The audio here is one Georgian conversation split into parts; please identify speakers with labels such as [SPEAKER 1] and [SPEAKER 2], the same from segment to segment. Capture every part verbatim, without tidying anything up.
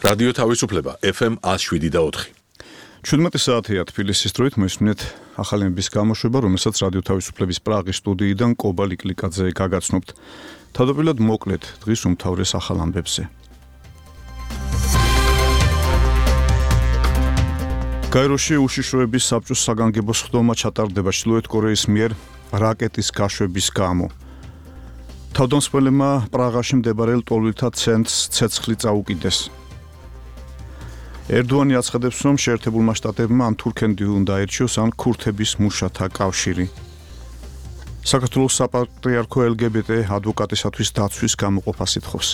[SPEAKER 1] რადიო თავისუფლება ეფ ემ one oh seven და four.
[SPEAKER 2] შვიდმეტი საათია თბილისის დროით მოისმინეთ ახალი ამბის გამოშვება, რომელსაც რადიო თავისუფლების პრაღის სტუდიიდან კობა ლიკლიკაძე გაგაცნობთ. თავდაპირველად მოკლედ დღის უმთავრეს ახალ ამბებზე. გაეროში უშიშროების საბჭოს საგანგებო სხდომა ჩატარდება ჩრდილოეთ კორეის მიერ რაკეტის გაშვების გამო. თავდამსხმელებმა პრაღაში მდებარე ლტოლვილთა ცენტრს ცეცხლი წაუკიდეს. ერდოანი აცხადებს, რომ შეერთებულმა შტატებმა ან თურქეთი უნდა აირჩიოს, ან ქურთების მუშათა კავშირი. საქართველოს საპატრიარქო ელ გი ბი ტი ადვოკატისათვის დაცვის გამოყოფას ითხოვს.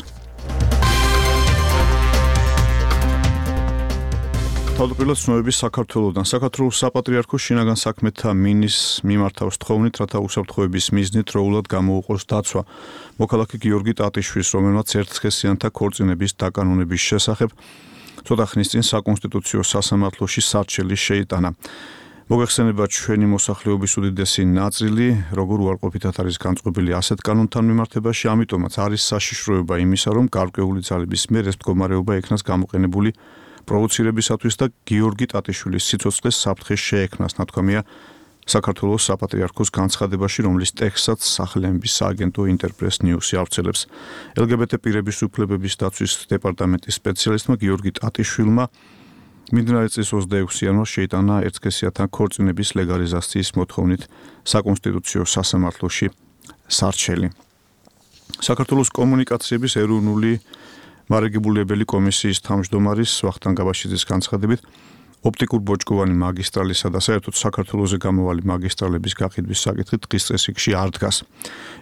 [SPEAKER 2] თავდაპირველად ცნობები საქართველოდან. საქართველოს საპატრიარქო შინაგან საქმეთა მინისტრს მიმართავს თხოვნით, რათა უსაფრთხოების მიზნით დროულად გამოუყოს დაცვა. მოქალაქე გიორგი ტატიშვილს, რომელმაც ერთსქესიანთა ქორწინების დაკანონების შესახებ ცოტა ხნის წინ საკონსტიტუციო სასამართლოში სარჩელი შეიტანა. მოგეხსენება ჩვენი მოსახლეობის უდიდესი ნაწილი, როგორ უარყოფითად არის განწყობილი ასეთ კანონთან მიმართებაში, ამიტომაც არის საშიშროება იმისა, რომ გარკვეული ძალების მიერ ეს მდგომარეობა იქნას გამოყენებული პროვოცირებისათვის და გიორგი ტატიშვილის სიცოცხლეს საფრთხე შეექმნას, ნათქვამია საქართველოს საპატრიარქოს განცხადებაში, რომლის ტექსტსაც სახლეების სააგენტო ინტერპრეს ნიუსი ავრცელებს. ელ გი ბი ტი პირების უფლებების დაცვის დეპარტამენტის სპეციალისტმა გიორგი ტატიშვილმა მიმდინარე წლის ოცდაექვსი იანვარს შეიტანა ერთსქესიანთა ქორწინების ლეგალიზაციის მოთხოვნით საკონსტიტუციო სასამართლოში სარჩელი. საქართველოს კომუნიკაციების ეროვნული მარაგებულებელი კომისიის თავმჯდომარის ვახტანგ გაბაშიძის განცხადებით, ოპტიკურ ბოჭკოვანი მაგისტრალისა და საერთოდ საქართველოზე გამოვალი მაგისტრალების გაყიდვის საკითხი დღის წესრიგში არ დგას.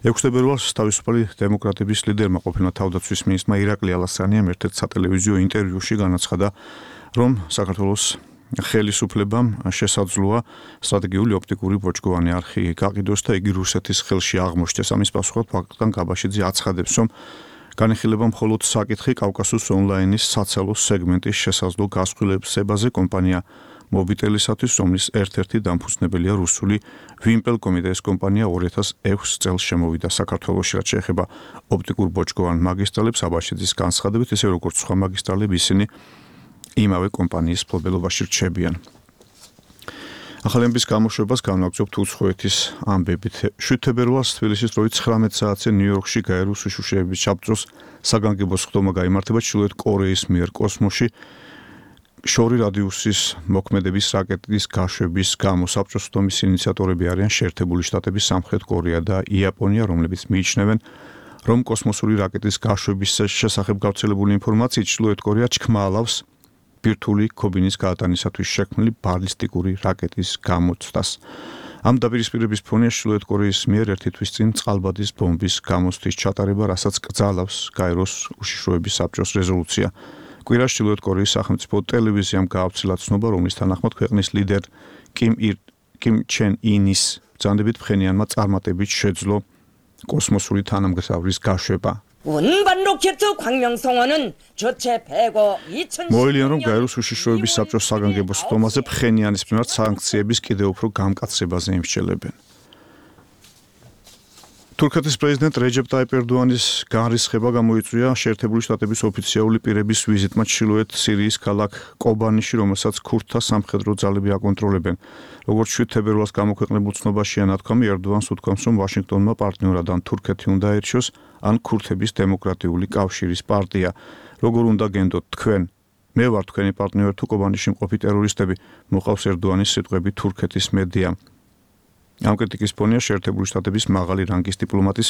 [SPEAKER 2] ექვსი თებერვალს თავისუფალი დემოკრატების ლიდერმა ყოფილმა თავდაცვის მინისტრმა ირაკლი ალასრანიამ ერთ-ერთ სატელევიზიო ინტერვიუში განაცხადა, რომ საქართველოს ხელისუფლებამ შესაძლოა სტრატეგიული ოპტიკური ბოჭკოვანი არხი გაყიდოს და იგი რუსეთის ხელში აღმოჩნდეს. ამის პასუხად ვახტანგ გაბაშიძე აცხადებს, რომ განიხილება მხოლოდ საკითხი კავკასუს ონლაინის საცალო სეგმენტის შესაძლო გასხვილებაზე კომპანია მობიტელისათვის, რომლის ერთ-ერთი დამფუძნებელია რუსული ვიმპელკომი და ეს კომპანია ორი ათას ექვსი წელს შემოვიდა საქართველოში, რაც შეეხება ოპტიკურ ბოჭკოვან მაგისტრალებს. აბაშიძის განცხადებით, ისე როგორც სხვა მაგისტრალები, ისინი იმავე კომპანიის მფლობელობაში რჩებიან. ახალი ამბის გამოშვებას განვაგრძობთ უცხოეთის ამბებით. შვიდ თებერვალს თბილისის დროით ცხრამეტ საათზე ნიუ-იორკში გაეროს უშიშროების საბჭოს საგანგებო სხდომა გაიმართება ჩრდილოეთ კორეის მიერ კოსმოსში შორი რადიუსის მოქმედების რაკეტის გაშვების გამო. საბჭოს სხდომის ინიციატორები არიან შეერთებული შტატები, სამხრეთ კორეა და იაპონია, რომლებიც მიიჩნევენ, რომ კოსმოსური რაკეტის გაშვების შესახებ გავრცელებული ინფორმაციით ჩრდილოეთ კორეა ჩქმალავს ბირთვული ქობინის გაატანისათვის შექმნილი ბალისტიკური რაკეტის გამოცდას. ამ დაპირისპირების ფონია ჩრდილოეთ კორეის მიერ ერთი თვის წინ წყალბადის ბომბის გამოცდის ჩატარება, რასაც კრძალავს გაეროს უშიშროების საბჭოს რეზოლუცია. კვირას ჩრდილოეთ კორეის სახელმწიფო ტელევიზიამ გაავრცელა ცნობა, რომლის თანახმად ქვეყნის ლიდერ კიმ ირ კიმ ჩენ ინის ბრძანდებით ფხენიანმა წარმატებით შეძლო კოსმოსური თანამგზავრის გაშვება.
[SPEAKER 3] 운반 로켓 광명성어는 저체 백오 이천
[SPEAKER 2] მოელიან, რომ გაეროს უშიშროების საბჭოს საგანგებო სხდომაზე ფხენიანის მიმართ სანქციების კიდევ უფრო გამკაცრებაზე იმსჯელებენ. თურქეთის პრეზიდენტ რეჯეპ ტაიპ ერდოანის განრისხება გამოიწვია შეერთებული შტატების ოფიციალური პირების ვიზიტმა ჩრდილოეთ სირიის ქალაქ კობანიში, რომელსაც ქურთთა სამხედრო ძალები აკონტროლებენ. როგორც შვიდ თებერვალს გამოქვეყნებულ ცნობაშია ნათქვამი, ერდოანს უთქვამს, რომ ვაშინგტონმა პარტნიორად ან თურქეთი უნდა აირჩიოს, ან ქურთების დემოკრატიული კავშირის პარტია. როგორ უნდა გენდოთ თქვენ? მე ვარ თქვენი პარტნიორი თუ კობანიში მყოფი ტერორისტები, მოყავს ერდოანის სიტყვები თურქეთის მედიამ. ამ კრიტიკის ფონია შეერთებული შტატების მაღალი რანგის დიპლომატის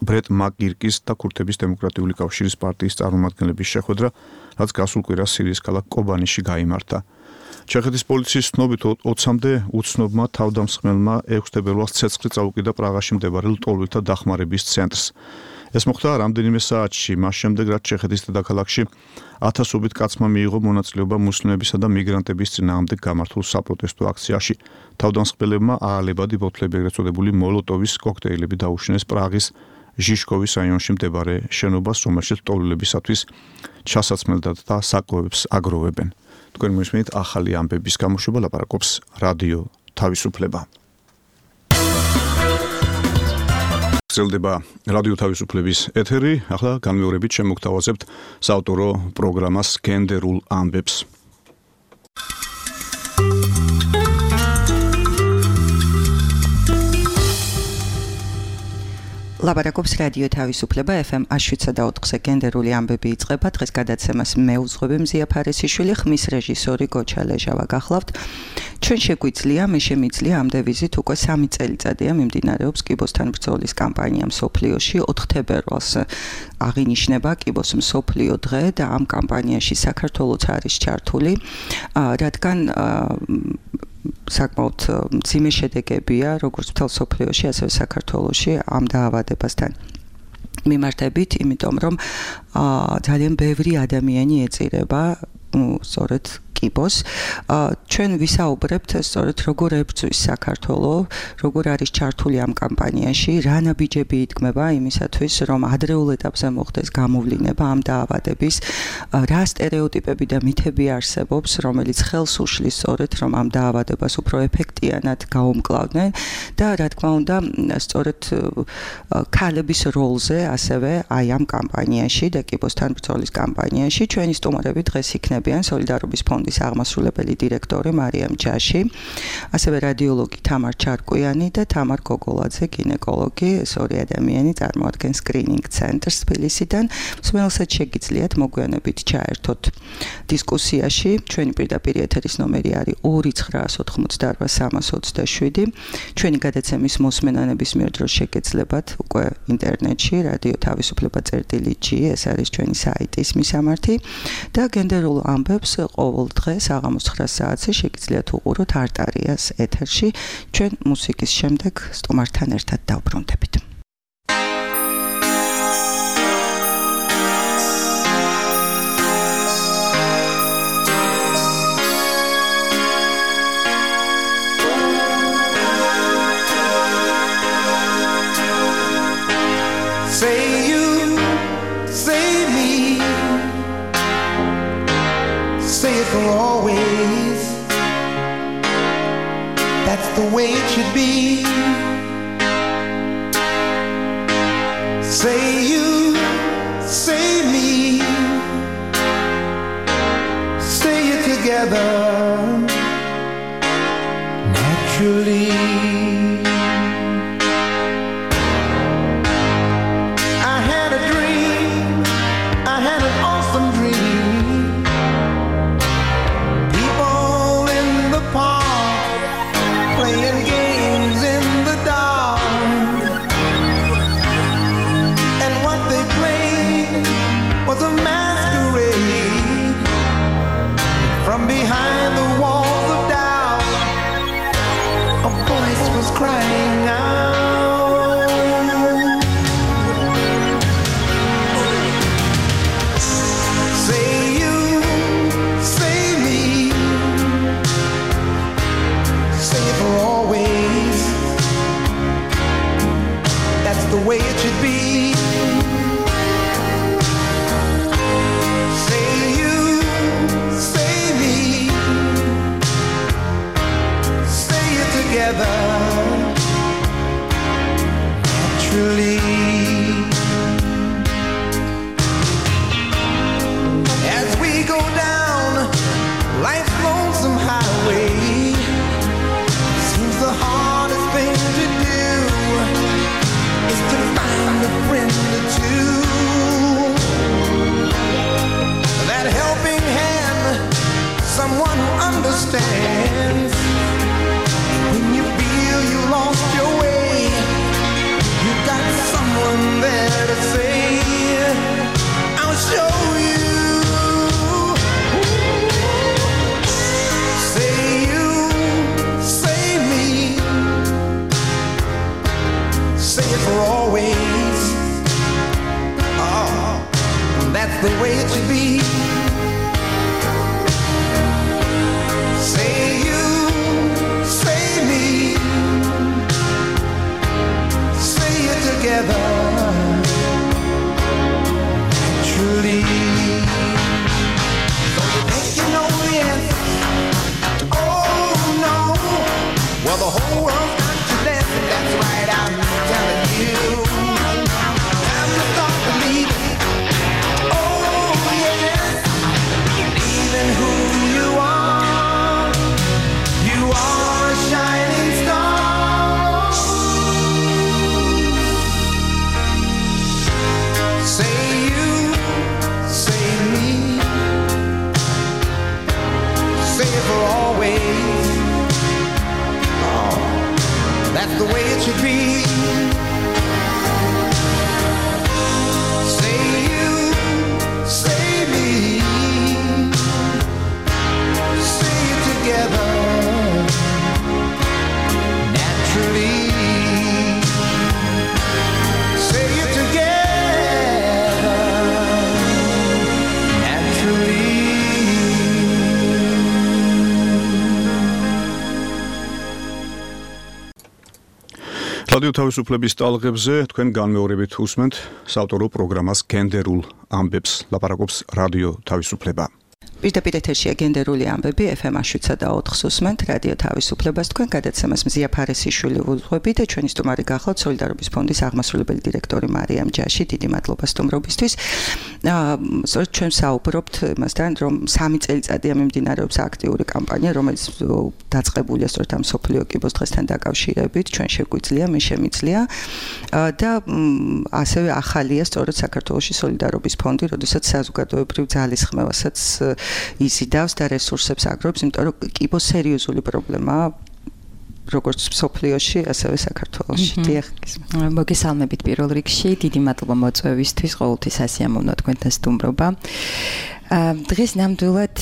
[SPEAKER 2] ბრეტ მაკგირკის და ქურთების დემოკრატიული კავშირის პარტიის წარმომადგენლების შეხვედრა, რაც გასულ კვირას სირიის ქალაქ კობანიში გაიმართა. ჩეხეთის პოლიციის ცნობით ოცამდე უცნობმა თავდამსხმელმა ექვსი თებერვალს ცეცხლი წაუკიდა პრაღაში მდებარე ლტოლვილთა დახმარების ცენტრს. ეს მოხდა რამდენიმე საათში მას შემდეგ, რაც ჩეხეთის დედაქალაქში ათასობით კაცმა მიიღო მონაწილეობა მუსლიმებისა და მიგრანტების წინააღმდეგ გამართულ საპროტესტო აქციაში. თავდამსხმელებმა აალებადი ბოთლები, ეგრეთ წოდებული მოლოტოვის კოქტეილები დაუშინეს პრაღის ჟიშკოვის რაიონში მდებარე შენობას, რომელშიც ლტოლვილებისათვის ჩასაცმელად და საკვებს აგროვებენ. თქვენ მოისმენთ ახალი ამბების გამოშვება, ლაპარაკობს რადიო თავისუფლება. გრძელდება რადიო თავისუფლების ეთერი. ახლა განმეორებით შემოგთავაზებთ საავტორო პროგრამას გენდერულ ამბებს.
[SPEAKER 4] ლაპარაკობს რადიო თავისუფლება ეფ ემ შვიდსა და ოთხზე გენდერული ამბები იწყება. დღეს გადაცემას მე უძღვები მზია ფარესიშვილი, ხმის რეჟისორი გოჩა ლეჟავა გახლავთ. ჩვენ შეგვიძლია, მე შემიძლია ამ დევიზით უკვე სამი წელიწადია მიმდინარეობს კიბოსთან ბრძოლის კამპანია მსოფლიოში. ოთხ თებერვალს აღინიშნება კიბოს მსოფლიო დღე და ამ კამპანიაში საქართველოც არის ჩართული, რადგან საკმაოდ მძიმე შედეგებია როგორც მთელ მსოფლიოში, ასევე საქართველოში ამ დაავადებასთან მიმართებით, იმიტომ რომ ძალიან ბევრი ადამიანი ეწირება სწორედ კიბოს. ჩვენ ვისაუბრებთ სწორედ როგორ ებრძვის საქართველო, როგორ არის ჩართული ამ კამპანიაში, რა ნაბიჯები იდგმება იმისათვის, რომ ადრეულ ეტაპზე მოხდეს გამოვლინება ამ დაავადების, რა სტერეოტიპები და მითები არსებობს, რომელიც ხელს უშლის სწორედ, რომ ამ დაავადებას უფრო ეფექტიანად გაუმკლავდნენ და რა თქმა უნდა, სწორედ ქალების როლზე ასევე აი ამ კამპანიაში და კიბოსთან ბრძოლის კამპანიაში ჩვენი სტუმრები დღეს იქნებიან სოლიდარობის ფონდის აღმასრულებელი დირექტორი მარიამ ჯაში, ასევე რადიოლოგი თამარ ჩარკვიანი და თამარ გოგოლაძე, გინეკოლოგი. ეს ორი ადამიანი წარმოადგენს სკრინინგ ცენტრს თბილისიდან. მსმენელსაც შეგიძლიათ მოგვიანებით ჩაერთოთ დისკუსიაში. ჩვენი პირდაპირ ეთერის ნომერი არის ორი ცხრა ოთხმოცდაოთხ სამას ოცდაშვიდი. ჩვენი გადაცემის მოსმენანების მიერ დროს შეგეძლებათ უკვე ინტერნეტში რადიო თავისუფლება წერტილი ჯი, ეს არის ჩვენი საიტის მისამართი და გენდერულ ამბებს ყოველ დღე საღამოს ცხრა საათზე შეგიძლიათ უყუროთ არტარიას ეთერში. ჩვენ მუსიკის შემდეგ სტუმართან ერთად დავბრუნდებით.
[SPEAKER 5] Always, that's the way it should be. Say you, say me, say it together naturally. I had a dream, I had an awesome dream. Playing games in the dark, and what they played was a masquerade. From behind the walls of doubt, a voice was crying out. Say you, say me, say it for always. That's the way it should be. Say you, say me, say it together naturally. As we go down life's lonesome highway, the hardest thing to do is to find a friend or two. That helping hand, someone who understands. When you feel you lost your way, you got someone there to say, I'll show you. Say you, say me, say it for always. Oh, that's the way it should be. Say you, say me, say it together naturally. So you think you know the answer? Oh no. Well, the whole world's got to dance, and that's right, I'm telling you.
[SPEAKER 2] რადიო თავისუფლების ტალღებზე თქვენ განმეორებით უსმენთ საავტორო პროგრამას გენდერულ ამბებს, ლაპარაკობს რადიო თავისუფლება.
[SPEAKER 4] პირდაპირ ეთერშია გენდერული ამბები ეფ ემ შვიდსა და ოთხს უსმენთ რადიო თავისუფლებას თქვენ გადაცემას მზია ფარესიშვილი ვუძღვები და ჩვენი სტუმარი გახლავთ სოლიდარობის ფონდის აღმასრულებელი დირექტორი მარიამ ჯაში. დიდი მადლობა სტუმრობისთვის. სწორედ ჩვენ საუბრობთ იმასთან, რომ სამი წელიწადია მიმდინარეობს აქტიური კამპანია, რომელიც დაწყებულია სწორედ ამ სოფლიო კიბოს დღესთან დაკავშირებით. ჩვენ შეგვიძლია, მე შემიძლია და ასევე ახალია სწორედ საქართველოში სოლიდარობის ფონდი, როდესაც საზოგადოებრივ ძალისხმევასაც იზიდავს და რესურსებს აგროვებს, იმიტომ რომ კიბო სერიოზული პრობლემაა როგორც სოფლიოში, ასევე საქართველოში. დიახ.
[SPEAKER 6] მოგესალმებით პირველ რიგში, დიდი მადლობა მოწვევისთვის, ყოველთვის ასიამოვნო თქვენთან სტუმრობა. დღეს ნამდვილად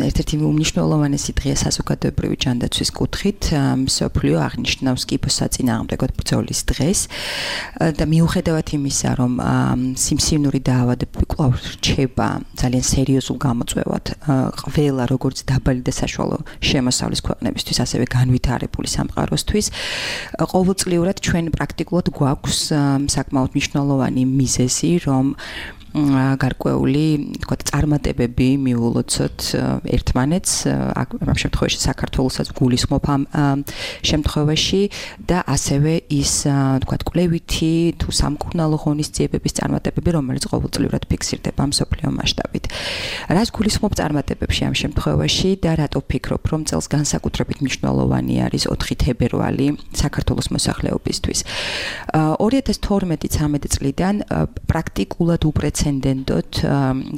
[SPEAKER 6] ერთ-ერთი უმნიშვნელოვანესი დღეა საზოგადოებრივი ჯანდაცვის კუთხით. მსოფლიო აღნიშნავს კიბოს საწინააღმდეგო ბრძოლის დღეს და მიუხედავად იმისა, რომ სიმსივნური დაავადებები კვლავ რჩება ძალიან სერიოზულ გამოწვევად ყველა როგორც დაბალი და საშუალო შემოსავლის ქვეყნებისთვის, ასევე განვითარებული სამყაროსთვის, ყოველწლიურად ჩვენ პრაქტიკულად გვაქვს საკმაოდ მნიშვნელოვანი მიზეზი, რომ გარკვეული, თქვათ, წარმატებები მიულოცოთ ერთმანეთს, ამ შემთხვევაში საქართველოსაც გულისხმობ ამ შემთხვევაში და ასევე ის, თქვათ, კვლევითი თუ სამკურნალო ღონისძიებების წარმატებები, რომელიც ყოველწლიურად ფიქსირდება მსოფლიო მასშტაბით. რას გულისხმობ წარმატებებში ამ შემთხვევაში და რატო ვფიქრობ, რომ წელს განსაკუთრებით მნიშვნელოვანი არის ოთხი თებერვალი საქართველოს მოსახლეობისთვის. ორი ათას თორმეტი ცამეტი წლიდან პრაქტიკულად უპრეცედენტოდ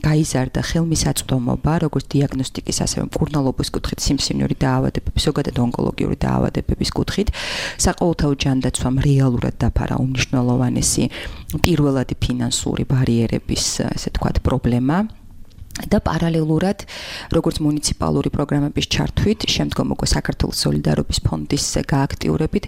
[SPEAKER 6] გაიზარდა ხელმისაწვდომობა, როგორც დიაგნოსტიკის, ასევე მკურნალობის კუთხით, სიმსივნური დაავადებების, ზოგადად ონკოლოგიური დაავადებების კუთხით. საყოველთაო ჯანდაცვამ რეალურად დაფარა უმნიშვნელოვანესი პირველადი ფინანსური ბარიერების, ესე თქვათ, პრობლემა. და პარალელურად, როგორც მუნიციპალური პროგრამების ჩართვით, შემდგომ უკვე საქართველოს სოლიდარობის ფონდის გააქტიურებით,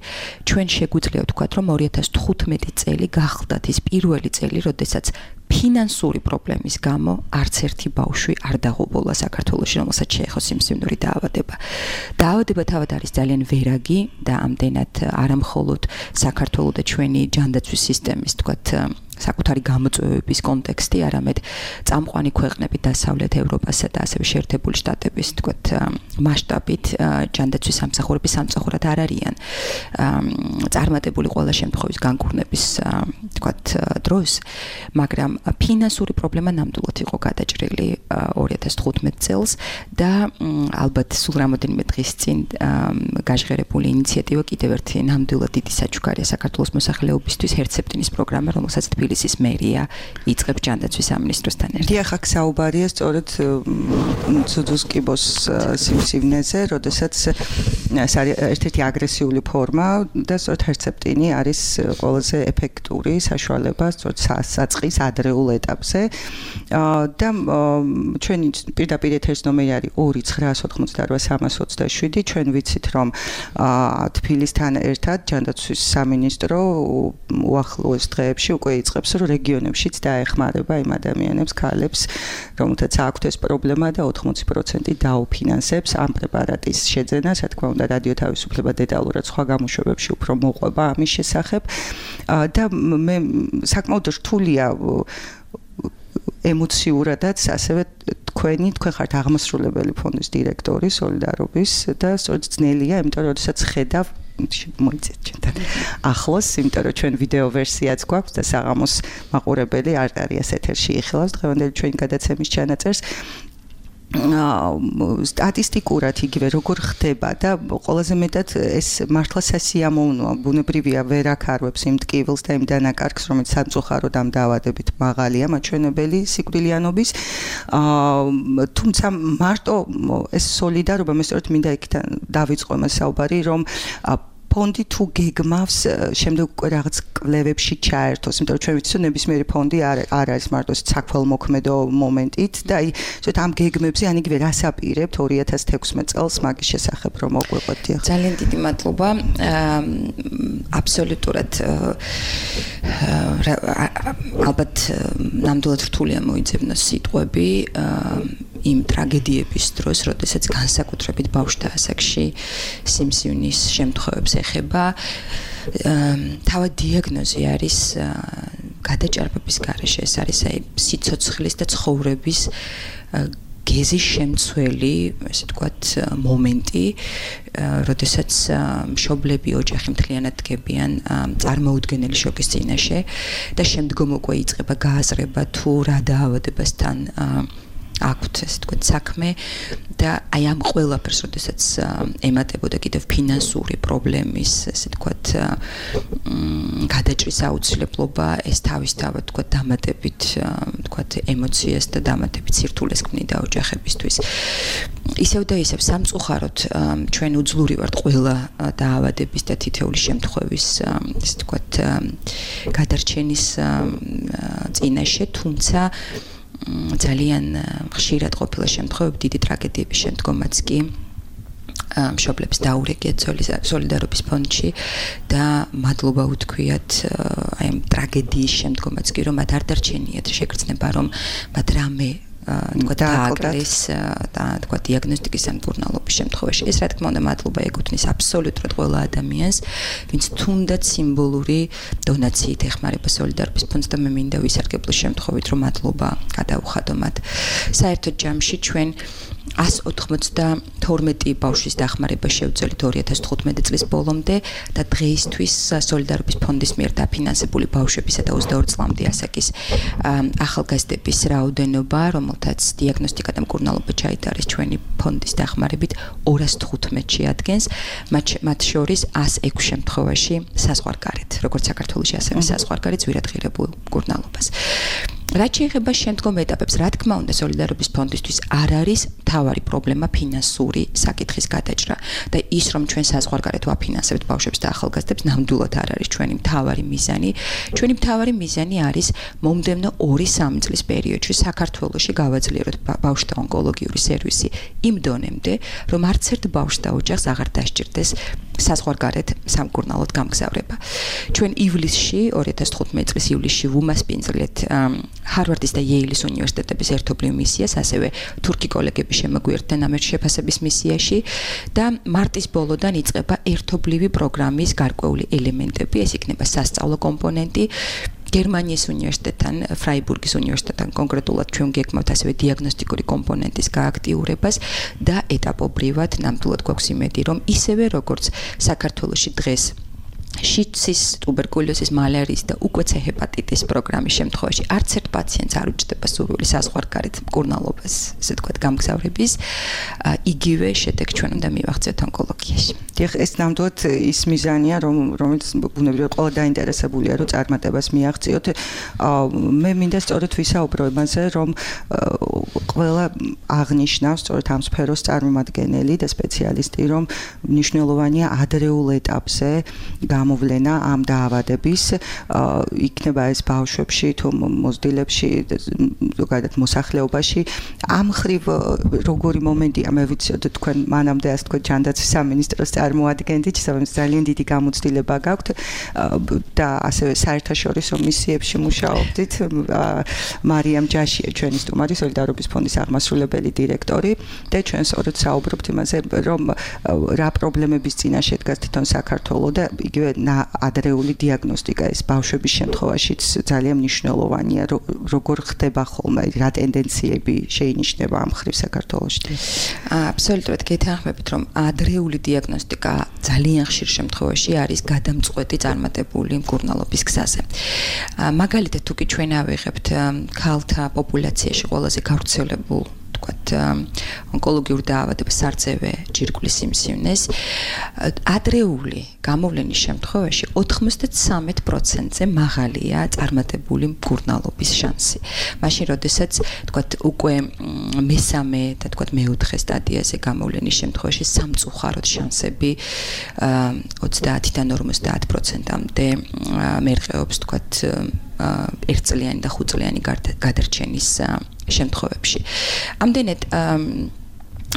[SPEAKER 6] ჩვენ შეგვიძლია ვთქვათ, რომ ორი ათას თხუთმეტი წელი გახლდათ ის პირველი წელი, როდესაც ფინანსური პრობლემის გამო არც ერთი ბავშვი არ დაღუპულა საქართველოში, რომელსაც შეეხო სიმსივნური დაავადება. დაავადება თავად არის ძალიან ვერაგი და ამდენად არამხოლოდ საქართველოს და ჩვენი ჯანდაცვის სისტემის, თქვათ, საკუთარი გამოწვევების კონტექსტი, არამედ წამყვანი ქვეყნები დასავლეთ ევროპასა და ასევე შეერთებული შტატების, თქვათ, მასშტაბით ჯანდაცვის სამსახურების სამსახურად არ არიან წარმატებული ყველა შემთხვევის განკურნების, თქვათ, დროს, მაგრამ ფინანსური პრობლემა ნამდვილად იყო გადაჭრილი ორი ათას თხუთმეტ წელს და ალბათ სულ რამოდენიმე დღის წინ გაჟღერებული ინიციატივა კიდევ ერთი ნამდვილად დიდი საჩუქარია საქართველოს მოსახლეობისთვის, ჰერცეპტინის პროგრამა, რომელსაც თბილისის მერია იწყებს ჯანდაცვის სამინისტროსთან ერთად.
[SPEAKER 4] დიახ, აქ საუბარია სწორედ ძუძუს კიბოს სიმსივნეზე, როდესაც ეს არის ერთ-ერთი აგრესიული ფორმა და სწორედ ჰერცეპტინი არის ყველაზე ეფექტური საშუალება სწორედ საწყის ადრეულ ეტაპზე და ჩვენი პირდაპირ ეთერის ნომერი არის ორი ცხრაას ოთხმოცდაორვა სამას ოცდაშვიდი. ჩვენ ვიცით, რომ თბილისთან ერთად ჯანდაცვის სამინისტრო უახლოეს დღეებში უკვე იწყებს, რომ რეგიონებშიც დაეხმარება იმ ადამიანებს, ქალებს, რომელთაც აქვთ ეს პრობლემა და ოთხმოცი პროცენტი დაუფინანსებს ამ პრეპარატის შეძენას. რა თქმა უნდა, რადიო თავისუფლება დეტალურად სხვა გამოშვებებში უფრო მოყვება ამის შესახებ და მე საკმაოდ რთულია ემოციურადაც, ასევე თქვენი, თქვენ ხართ აღმასრულებელი ფონდის დირექტორი სოლიდარობის და სწორედ ძნელია, იმიტომ რომ როდესაც ხედავ მოიწეთ ჩვენთან ახლოს, იმიტომ რომ ჩვენ ვიდეო ვერსიაც გვაქვს და საღამოს მაყურებელი არ არის ეთერში იხილავს დღევანდელი ჩვენი გადაცემის ჩანაწერს. სტატისტიკურად იგივე როგორ ხდება და ყველაზე მეტად ეს მართლა სასიამოვნოა, ბუნებრივია, ვერ აქარვებს იმ ტკივილს და იმ დანაკარგს, რომელიც სამწუხაროდ ამ დაავადებით მაღალია მაჩვენებელი სიკვდილიანობის. თუმცა მარტო ეს სოლიდარობა, მე სწორედ მინდა იქიდან დავიწყო მას საუბარი, რომ ფონდი თუ გეგმავს შემდეგ უკვე რაღაც კვლევებში ჩაერთოს, იმიტომ რომ ჩვენ ვიცით, რომ ნებისმიერი ფონდი არ არ არის მარტო საქველმოქმედო მომენტით და აი ზოგადად ამ გეგმებზე ან იგივე რას აპირებთ ორი ათას თექვსმეტ წელს მაგის შესახებ რომ მოგვიყვეთ.
[SPEAKER 6] ძალიან დიდი მადლობა. აბსოლუტურად ალბათ ნამდვილად რთულია მოიძებნოს სიტყვები იმ ტრაგედიების დროს, როდესაც განსაკუთრებით ბავშვთა ასაკში სიმსივნის შემთხვევებს ეხება. თავად დიაგნოზი არის გადაჭარბების გარეშე, ეს არის აი სიცოცხლის და ცხოვრების გეზის შემცველი, ესე ვთქვათ, მომენტი, როდესაც მშობლები ოჯახი მთლიანად დგებიან წარმოუდგენელი შოკის წინაშე და შემდგომ უკვე იწყება გააზრება თუ რა დაავადებასთან აქვთ, ესე ვთქვათ, საქმე და აი ამ ყველაფერს, როდესაც ემატებოდა კიდევ ფინანსური პრობლემის, ესე ვთქვათ, გადაჭრის აუცილებლობა, ეს თავისთავად, ვთქვათ, დამატებით, ვთქვათ, ემოციას და დამატებით სირთულეს ქმნიდა ოჯახებისთვის. ისევ და ისევ სამწუხაროდ ჩვენ უძლური ვართ ყველა დაავადების და თითეული შემთხვევის, ესე ვთქვათ, გადარჩენის წინაშე, თუმცა ძალიან ხშირად ყოფილა შემთხვევები დიდი ტრაგედიების შემდგომაც კი მშობლებს დაურეკიათ სოლიდარობის ფონდში და მადლობა უთქვიათ აი ამ ტრაგედიის შემდგომაც კი რომ მათ არ დარჩენიათ შეგრძნება რომ მათ რამე თქვა დააკლეს და თქვა დიაგნოსტიკის ან მკურნალობის შემთხვევაში ეს რა თქმა უნდა მადლობა ეკუთვნის აბსოლუტურად ყველა ადამიანს ვინც თუნდაც სიმბოლური დონაციით ეხმარება სოლიდარობის ფონდს და მე მინდა ვისარგებლო შემთხვევით რომ მადლობა გადაუხადო მათ საერთოდ ჯამში ჩვენ one ოცდათორმეტი ბავშვის დახმარება შევძელით two thousand თხუთმეტი წლის ბოლომდე და დღეისთვის სოლიდარობის ფონდის მიერ დაფინანსებული ბავშვებისა და ოცდაორი წლამდე ასაკის ახალგაზრდების რაოდენობა, რომელთაც დიაგნოსტიკა და მკურნალობა ჩაიტარეს ჩვენი ფონდის დახმარებით two hundred თხუთმეტში ადგენს, მათ შორის one oh six შემთხვევაში საზღვარგარეთ, როგორც საქართველოში ასევე საზღვარგარეთ ზვირადღირებულ მკურნალობას. რაც შეეხება შემდგომ ეტაპებს, რა თქმა უნდა, სოლიდარობის ფონდისთვის არ არის მთავარი პრობლემა ფინანსური საკითხის გადაჭრა და ის რომ ჩვენ საზღვარგარეთ ვაფინანსებთ ბავშვებს და ახალგაზრდებს, ნამდვილად არ არის ჩვენი მთავარი მიზანი. ჩვენი მთავარი მიზანი არის მომდევნო two three წლის პერიოდში საქართველოში გავაძლიეროთ ბავშვთა ონკოლოგიური სერვისი იმ დონემდე, რომ არც ერთ ბავშვს და ოჯახს აღარ დასჭირდეს საზღვარგარეთ სამკურნალოდ გამგზავრება. ჩვენ ივლისში two thousand თხუთმეტი წლის ივლისში ვუმასპინძლეთ ჰარვარდის და იეილის უნივერსიტეტების ერთობლივ მისიას, ასევე თურქი კოლეგები შემოგვიერთდნენ ამ შეფასების მისიაში და მარტის ბოლოდან იწყება ერთობლივი პროგრამის გარკვეული ელემენტები, ეს იქნება სასწავლო კომპონენტი, გერმანიის უნივერსიტეტთან, ფრაიბურგის უნივერსიტეტთან კონკრეტულად ჩვენ გეკმავთ ასევე დიაგნოსტიკური კომპონენტის გააქტიურებას და ეტაპობრივად ნამდვილად გვაქვს იმედი, რომ ისევე როგორც საქართველოში დღეს შიცის, ტუბერკულოზის, მალარიის და უკვე ცე ჰეპატიტის პროგრამის შემთხვევაში არც ერთ პაციენტს არ უჭდება სურვილი საზღვარგარეთ მკურნალობას, ესე ვთქვათ, გამგზავრების, იგივე შედეგ ჩვენ უნდა მივაღწიოთ ონკოლოგიაში.
[SPEAKER 4] დიახ, ეს ნამდვილად ის მიზანია, რომ რომელიც ბუნებრივად ყველა დაინტერესებულია, რომ წარმატებას მიაღწიოთ. მე მინდა სწორედ ვისაუბრო იმაზე, რომ ყველა აღნიშნავს სწორედ ამ სფეროს წარმომადგენელი და სპეციალისტი, რომ მნიშვნელოვანია ადრეულ ეტაპზე გამოვლენა ამ დაავადების, იქნება ეს ბავშვებში თუ მოზრდილებში, ზოგადად მოსახლეობაში. ამ ხრივ როგორი მომენტია, მე ვიციოთ თქვენ მანამდე ასე თქვენ ჯანდაცვის სამინისტროს წარმოადგენდით, ძალიან დიდი გამოცდილება გაქვთ და ასევე საერთაშორისო მისიებში მუშაობდით. მარიამ ჯაშია ჩვენი სტუმარი, სოლიდარობის ფონდის აღმასრულებელი დირექტორი და ჩვენ სწორედ საუბრობთ იმაზე, რომ რა პრობლემების წინაშე დგას თვითონ საქართველო და იგივე ადრეული დიაგნოსტიკა ეს ბავშვების შემთხვევაშიც ძალიან მნიშვნელოვანია, როგორ ხდება ხოლმე, რა ტენდენციები შეინიშნება ამ ხრივ საქართველოში.
[SPEAKER 6] აბსოლუტურად გეთანხმებით, რომ ადრეული დიაგნოსტიკა ძალიან ხშირ შემთხვევაში არის გადამწყვეტი წარმატებული მკურნალობის გზაზე. მაგალითად, თუ კი ჩვენ ავიღებთ ქალთა პოპულაციაში ყველაზე გავრცელებულ ვთქვათ, ონკოლოგიურ დაავადებას, სარწევე ჯირკვლის სიმსივნეს, ადრეული გამოვლენის შემთხვევაში ოცდაtree პროცენტზე მაღალია წარმატებული მკურნალობის შანსი. მაშინ, როდესაც ვთქვათ, უკვე მესამე და ვთქვათ, მეოთხე სტადიაზე გამოვლენის შემთხვევაში სამწუხაროდ შანსები ოცდაათიდან ორმოცდაათ პროცენტამდე მერყეობს, ვთქვათ, ერთწლიანი და ხუთწლიანი გადარჩენის შემთხვევებში. ამდენად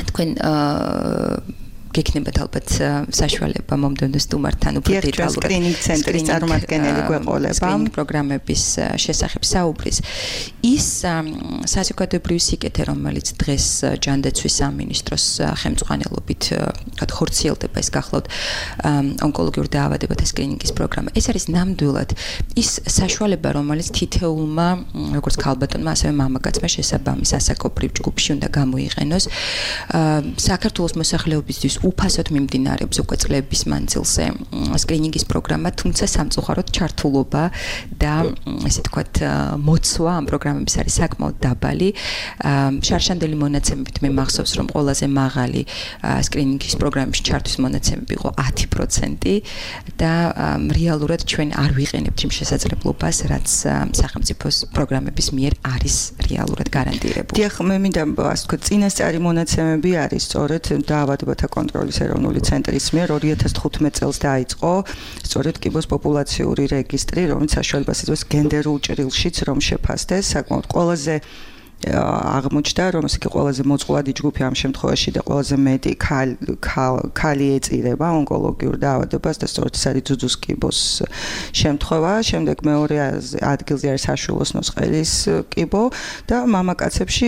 [SPEAKER 6] თქვენ გექნებათ ალბათ საშუალება მომდევნო სტუმართან უფრო დეტალურად
[SPEAKER 4] სკრინინგ ცენტრის წარმომადგენელი გვეყოლება
[SPEAKER 6] სკრინინგ პროგრამების შესახებ საუბრის. ის საზოგადოებრივი სიკეთე, რომელიც დღეს ჯანდაცვის სამინისტროს ხელმძღვანელობით ვთქვათ ხორციელდება, ეს გახლავთ ონკოლოგიურ დაავადებათა სკრინინგის პროგრამა. ეს არის ნამდვილად ის საშუალება, რომელიც თითოეულმა როგორც ქალბატონმა, ასევე მამაკაცმა შესაბამის ასაკობრივ ჯგუფში უნდა გამოიყენოს. საქართველოს მოსახლეობისთვის უფასოდ მიმდინარეობს უკვე წლების მანძილზე სკრინინგის პროგრამა, თუმცა სამწუხაროდ ჩართულობა და ესე თქვათ მოცვა ამ პროგრამების არის საკმაოდ დაბალი. შარშანდელი მონაცემებით მე მახსოვს, რომ ყველაზე მაღალი სკრინინგის პროგრამის ჩართვის მონაცემები იყო ათი პროცენტი და რეალურად ჩვენ არ ვიყენებთ იმ შესაძლებლობას, რაც სახელმწიფოს პროგრამების მიერ არის რეალურად გარანტირებული.
[SPEAKER 4] დიახ, მე მინდა ასე ვთქვათ, წინასწარი მონაცემები არის სწორედ დაავადებათა კონტროლის ეროვნული ცენტრის მიერ ორი ათას თხუთმეტ წელს დაიწყო სწორედ კიბოს პოპულაციური რეგისტრი, რომელიც საშუალებას იძლევა გენდერულ ჭრილშიც რომ შეფასდეს, საკმაოდ ყველაზე აღმოჩნდა, რომ ეს კი ყველაზე მოწყვლადი ჯგუფი ამ შემთხვევაში და ყველაზე მეტი ქალი ეწირება ონკოლოგიურ დაავადებას და სწორედ ეს არის ძუძუს კიბოს შემთხვევა. შემდეგ მეორე ადგილზე არის საშუალო სნოსყელის კიბო და მამაკაცებში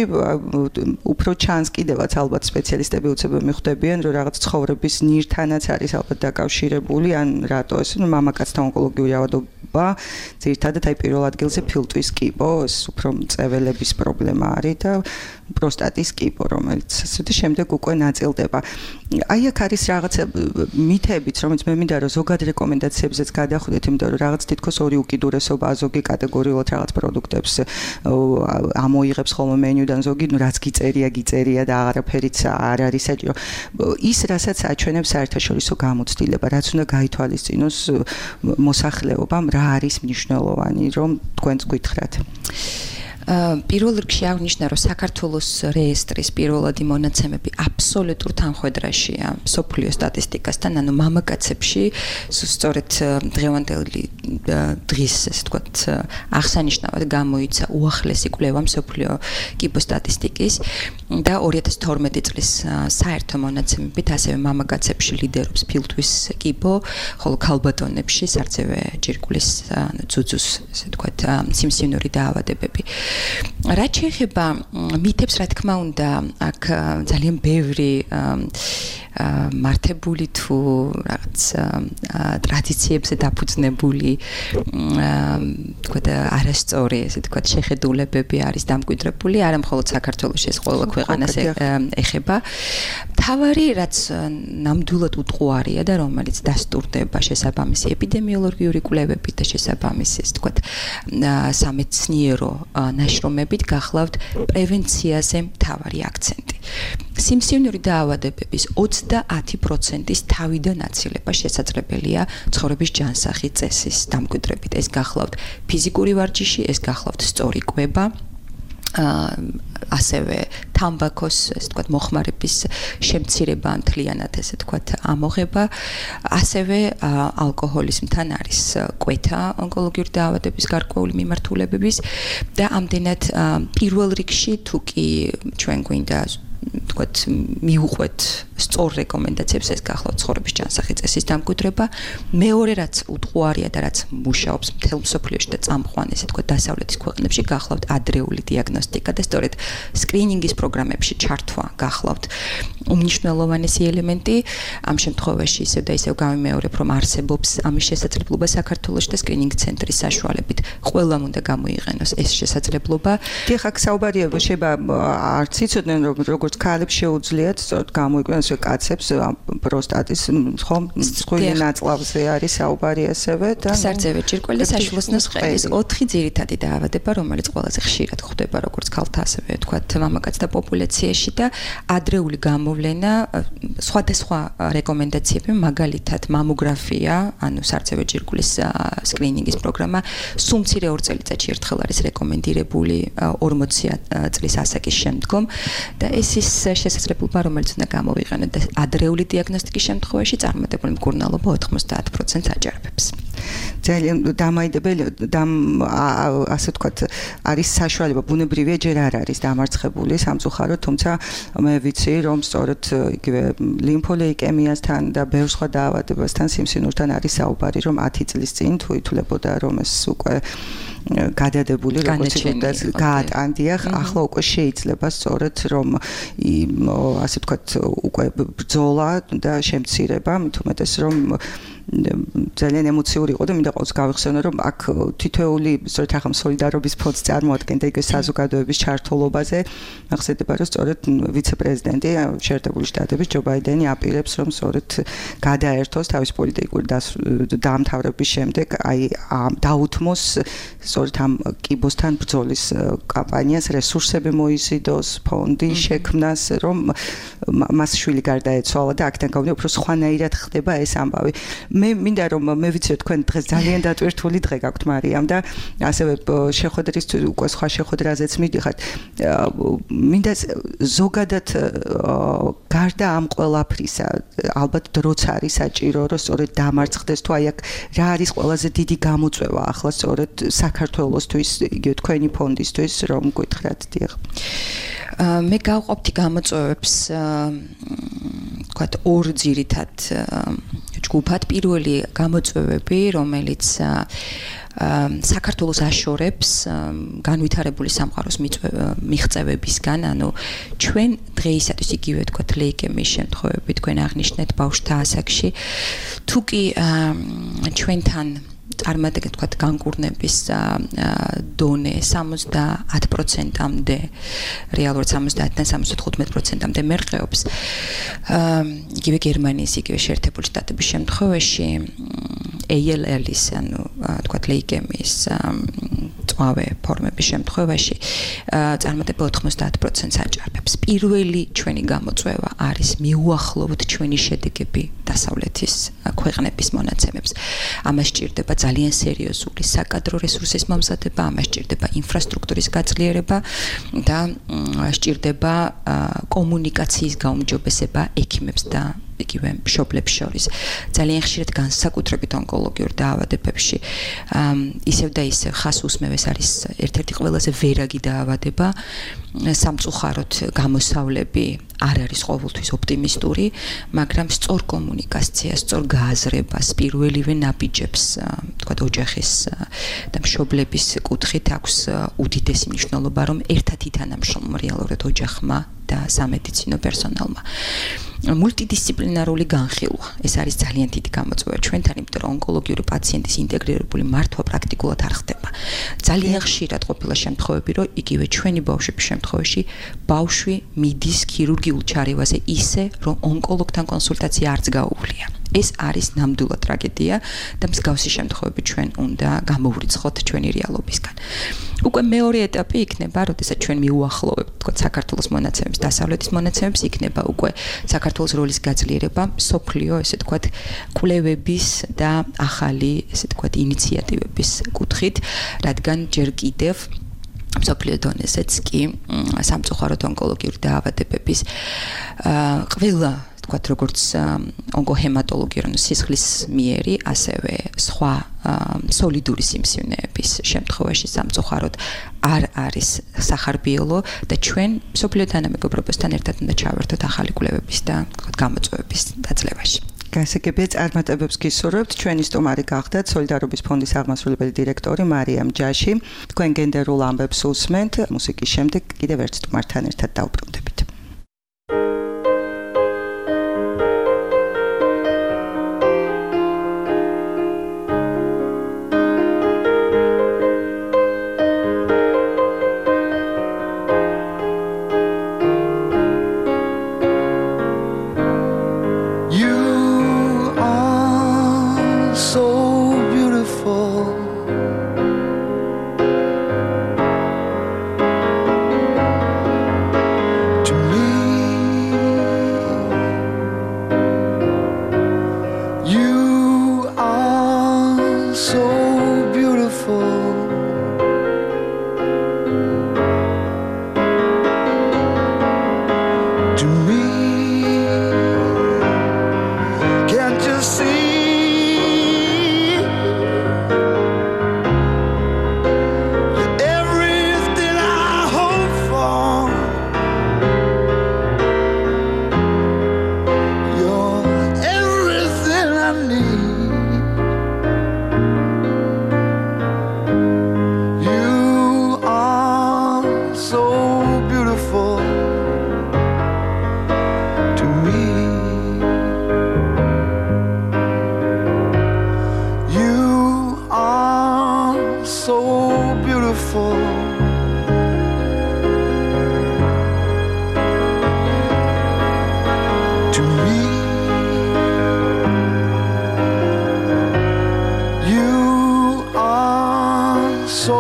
[SPEAKER 4] უფრო ჩანს კიდევაც ალბათ სპეციალისტები უცებ მიხვდებიან, რომ რაღაც ცხოვრების ნირთანაც არის ალბათ დაკავშირებული, ან რატო ეს მამაკაცთა ონკოლოგიური დაავადება ძირითადად აი პირველ ადგილზე ფილტვის კიბო, ეს უფრო მწეველების პრობლემა არის და პროსტატის კიბო, რომელიც ასე შემდეგ უკვე ნაწილდება. აი აქ არის რაღაცა მითებიც, რომელიც მე მინდა რომ ზოგად რეკომენდაციებზეც გადახვდეთ, იმიტომ რომ რაღაც თითქოს ორი უკიდურესობა ზოგი კატეგორიულად რაღაც პროდუქტებს ამოიღებს ხოლმე მენიუდან, ზოგი რაც გიწერია, გიწერია და აღარაფერიც არ არის საჭირო. ის რასაც აჩვენებს საერთაშორისო გამოცდილება, რაც უნდა გაითვალისწინოს მოსახლეობამ, რა არის მნიშვნელოვანი, რომ თქვენც გითხრათ.
[SPEAKER 6] პირველ რიგში აღნიშნა, რომ საქართველოს რეესტრის პირველადი მონაცემები აბსოლუტურ თანხვედრაშია მსოფლიო სტატისტიკასთან, ანუ მამაკაცებში სწორედ დღევანდელი დღის, ესე ვთქვათ, აღსანიშნავად გამოიცა უახლესი კვლევა მსოფლიო კიბოს სტატისტიკის და ორი ათას თორმეტი წლის საერთო მონაცემებით ასევე მამაკაცებში ლიდერობს ფილტვის კიბო, ხოლო ქალბატონებში სარცევე ჯირკვლის, ანუ ძუძუს, ესე ვთქვათ, სიმსივნური დაავადებები. რაც შეეხება მითებს, რა თქმა უნდა, აქ ძალიან ბევრი მართებული თუ რაღაც ტრადიციებზე დაფუძნებული თქვა და არასწორი, ესე თქვა, შეხედულებები არის დამკვიდრებული, არა მხოლოდ საქართველოში, ეს ყველა ქვეყანას ეხება. თავარი, რაც ნამდვილად უტყუარია და რომელიც დასტურდება შესაბამისი ეპიდემიოლოგიური კვლევებით და შესაბამისი, ესე თქვა, სამეცნიერო ნაშრომებით, გახლავთ პრევენციაზე მთავარი აქცენტი. სიმსივნური დაავადებების ოცდაათი პროცენტის თავიდან აცილება შესაძლებელია ცხოვრების ჯანსაღი წესის დამკვიდრებით. ეს გახლავთ ფიზიკური ვარჯიში, ეს გახლავთ სწორი კვება, ასევე თამბაქოს, ესე ვთქვათ, მოხმარების შემცირება, მთლიანად ესე ვთქვათ, ამოღება, ასევე ალკოჰოლიზმთან არის კვეთა ონკოლოგიური დაავადების გარკვეული მიმართულებების და ამდენად პირველ რიგში თუ კი ჩვენ გვინდა თქვათ მიუყვეთ სწორ რეკომენდაციებს, ეს გახლავთ ცხოვრების ჯანსაღი წესის დამკვიდრება. მეორე რაც უტყუარია და რაც მუშაობს მთელ მსოფლიოში და წამყვან, ესე თქვათ, დასავლეთის ქვეყნებში, გახლავთ ადრეული დიაგნოსტიკა და სწორედ სკრინინგის პროგრამებში ჩართვა გახლავთ უმნიშვნელოვანესი ელემენტი. ამ შემთხვევაში ისევ და ისევ გამიმეორებ, რომ არსებობს ამის შესაძლებლობა საქართველოში და სკრინინგ ცენტრის საშუალებით ყველამ უნდა გამოიყენოს ეს შესაძლებლობა.
[SPEAKER 4] დიახ, აქ საუბარია, შეიძლება არც იცოდნენ, რომ როგორც ქალებს შეუძლიათ სწორედ გამოიყვანოს კაცებს პროსტატის ხომ მსხვილი ნაწლავზე არის საუბარი ასევე და
[SPEAKER 6] სარცევე ჯირკველი და საშუალო სნოსყელის ოთხი ძირითადი დაავადება, რომელიც ყველაზე ხშირად ხდება როგორც ქალთა, ასევე ვთქვათ, მამაკაცთა პოპულაციაში და ადრეული გამოვლენა, სხვადასხვა რეკომენდაციები, მაგალითად მამოგრაფია, ანუ სარცევე ჯირკვლის სკრინინგის პროგრამა, სულ მცირე ორ წელიწადში ერთხელ არის რეკომენდირებული ორმოცი წლის ასაკის შემდგომ და ეს ის შესაძლებლობა, რომელიც უნდა გამოვიყენოს მითხრა და ადრეული დიაგნოსტიკის შემთხვევაში წარმატებული მკურნალობა ოთხმოცდაათ პროცენტს აჯანყებს.
[SPEAKER 4] ძალიან დამაიდებელი ასე ვთქვათ არის საშუალება ბუნებრივია ჯერ არ არის დამარცხებული სამწუხაროდ თუმცა მე ვიცი რომ სწორედ იგივე ლიმფოლეიკემიასთან და ბევრ სხვა დაავადებასთან სიმსივნურთან არის საუბარი რომ ათი წლის წინ თუ ითვლებოდა რომ ეს უკვე გადადებული როგორც იქნება გაატანდიახ ახლა უკვე შეიძლება სწორედ რომ ასე ვთქვათ უკვე ბრძოლა და შემცირება მით უმეტეს რომ ძალიან ემოციური იყო და მინდა ყოველთვის გავიხსენო რომ აქ თითოეული სწორედ ახლა სოლიდარობის ფონდს წარმოადგენდა იგივე საზოგადოების ჩართულობაზე ახსენდება რომ სწორედ ვიცე-პრეზიდენტი შეერთებული შტატების ჯო ბაიდენი აპირებს რომ სწორედ გადაერთოს თავის პოლიტიკური დაამთავრების შემდეგ აი დაუთმოს სწორედ ამ კიბოსთან ბრძოლის კამპანიას რესურსები მოიზიდოს ფონდი შექმნას რომ მას შვილი გარდაეცვალა და აქედან გამომდინარე უფრო სხვანაირად ხდება ეს ამბავი მე მინდა რომ მე ვიცი რომ თქვენ დღეს ძალიან დატვირთული დღე გაქვთ მარიამ და ასევე შეხვედრის უკვე სხვა შეხვედრაზეც მიდიხართ მინდა ზოგადად გარდა ამ ყველაფრისა ალბათ დროც არის საჭირო რომ სწორედ დამარცხდეს თუ აი აქ რა არის ყველაზე დიდი გამოწვევა ახლა სწორედ საქართველოსთვის იგივე თქვენი ფონდისთვის რომ გითხრათ დიახ
[SPEAKER 6] მე გავყოფდი გამოწვევებს ვთქვათ ორ ძირითად ჯგუფად პირველი გამოწვევები რომელიც საქართველოს აშორებს განვითარებული სამყაროს მიღწევებისგან ანუ ჩვენ დღეისათვის იგივე ვთქვათ ლეიკემიის შემთხვევები თქვენ აღნიშნეთ ბავშვთა ასაკში თუ კი ჩვენთან წარმატებით ვთქვათ განკურნების დონე სამოცდაათ პროცენტამდე რეალურად სამოცდაათიდან სამოცდათხუთმეტ პროცენტამდე მერყეობს იგივე გერმანიის იგივე შეერთებული შტატების შემთხვევაში ეი ელ ელ-ის ანუ ვთქვათ ლეიკემიის წვავე ფორმების შემთხვევაში წარმატება ოთხმოცდაათ პროცენტს აჭარბებს პირველი ჩვენი გამოწვევა არის მიუახლოვოთ ჩვენი შედეგები დასავლეთის ქვეყნების მონაცემებს ამას ჭირდება ძალიან სერიოზული საკადრო რესურსის მომზადება, ამას ჭირდება ინფრასტრუქტურის გაძლიერება და სჭირდება კომუნიკაციის გაუმჯობესება ექიმებს და იგივე მშობლებს შორის. ძალიან ხშირად განსაკუთრებით ონკოლოგიურ დაავადებებში ისევ და ისევ ხას უსმევ ეს არის ერთ-ერთი ყველაზე ვერაგი დაავადება. სამწუხაროდ გამოსავლები არ არის ყოველთვის ოპტიმისტური, მაგრამ სწორ კომუნიკაციას, სწორ გააზრებას, პირველივე ნაბიჯებს, თქვათ ოჯახის და მშობლების კუთხით აქვს უდიდესი მნიშვნელობა, რომ ერთად ითანამშრომლონ რეალურად ოჯახმა და სამედიცინო პერსონალმა. მულტიდისციპლინარული განხილვა ეს არის ძალიან დიდი გამოწვევა ჩვენთან, იმიტომ რომ ონკოლოგიური პაციენტის ინტეგრირებული მართვა პრაქტიკულად არ ხდება. ძალიან ხშირად ყოფილა შემთხვევები, რომ იგივე ჩვენი ბავშვების შემთხვევაში ბავშვი მიდის ქირურგიულ ჩარევაზე ისე, რომ ონკოლოგთან კონსულტაცია არც გაუვლია. ეს არის ნამდვილად ტრაგედია და მსგავსი შემთხვევები ჩვენ უნდა გამოვრიცხოთ ჩვენი რეალობისგან. უკვე მეორე ეტაპი იქნება, როდესაც ჩვენ მიუახლოვებთ, თქო, საქართველოს მონაცემებს, დასავლეთის მონაცემებს, იქნება უკვე საქართველოს როლის გაძლიერება, სოფლიო, ესე თქვა, კვლევების და ახალი, ესე თქვა, ინიციატივების კუთხით, რადგან ჯერ კიდევ სოფლიო დონეზეც კი სამწუხაროდ ონკოლოგიური დაავადებების ყველა თქვათ როგორც ონკოჰემატოლოგია, ანუ სისხლის მიერი, ასევე სხვა სოლიდური სიმსივნეების შემთხვევაში სამწუხაროდ არ არის სახარბიელო და ჩვენ სოფლიო თანამეგობრობასთან ერთად უნდა ჩავერთოთ ახალი კვლევების და გამოწვევების დაძლევაში.
[SPEAKER 4] გასაგებია წარმატებებს გისურვებთ. ჩვენი სტუმარი გახდათ სოლიდარობის ფონდის აღმასრულებელი დირექტორი მარიამ ჯაში. თქვენ გენდერულ ამბებს უსმენთ. მუსიკის შემდეგ კიდევ ერთ სტუმართან ერთად დავბრუნდებით.
[SPEAKER 5] To beautiful. To me, you are so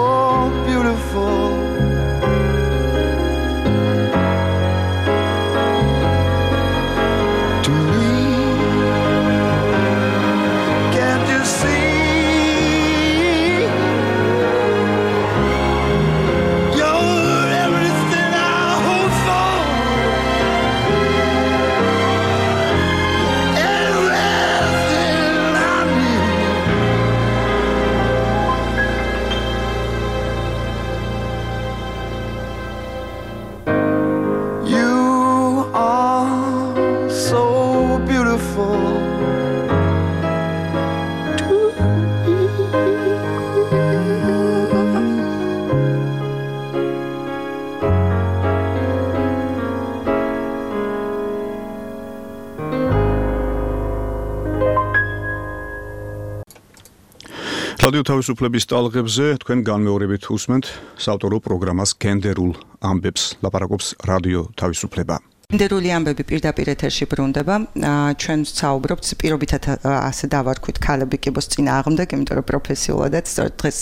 [SPEAKER 5] beautiful. To me, can't you see? You're everything I hope for. Everything I need. You are so beautiful.
[SPEAKER 2] რადიო თავისუფლების ტალღებზე თქვენ განმეორებით უსმენთ საავტორო პროგრამას გენდერულ ამბებს. ლაპარაკობს რადიო თავისუფლება.
[SPEAKER 4] გენდერული ამბები პირდაპირ ეთერში ბრუნდება. ჩვენ საუბრობთ პირობითად ასე დავარქვით ქალები კიბოს წინააღმდეგ, იმიტომ რომ პროფესიულადაც სწორედ დღეს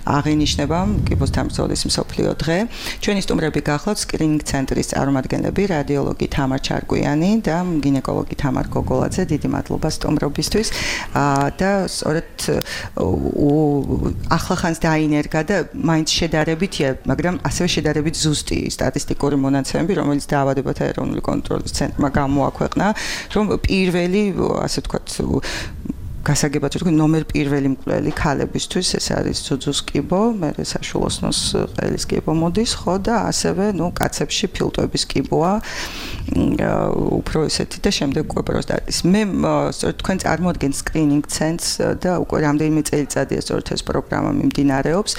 [SPEAKER 4] აღინიშნება კიბოს თამბრძოლის მსოფლიო დღე. ჩვენი სტუმრები გახლავთ სკრინინგ ცენტრის წარმომადგენლები, რადიოლოგი თამარ ჩარკვიანი და გინეკოლოგი თამარ გოგოლაძე. დიდი მადლობა სტუმრობისთვის. და სწორედ ახლახანს დაინერგა და მაინც შედარებითია, მაგრამ ასევე შედარებით ზუსტი სტატისტიკური მონაცემები, რომელიც დაავადებათა ეროვნული კონტროლის ცენტრმა გამოაქვეყნა, რომ პირველი, ასე ვთქვათ, გასაგებად ვთქვი, ნომერ პირველი მკვლელი ქალებისთვის ეს არის ძუძუს კიბო, მერე საშუალოსნოს ყელის კიბო მოდის, ხო და ასევე, ნუ, კაცებში ფილტვების კიბოა, უფრო ესეთი და შემდეგ უკვე პროსტატის. მე სწორედ თქვენ წარმოადგენთ სკრინინგ ცენტრს და უკვე რამდენიმე წელიწადია სწორედ ეს პროგრამა მიმდინარეობს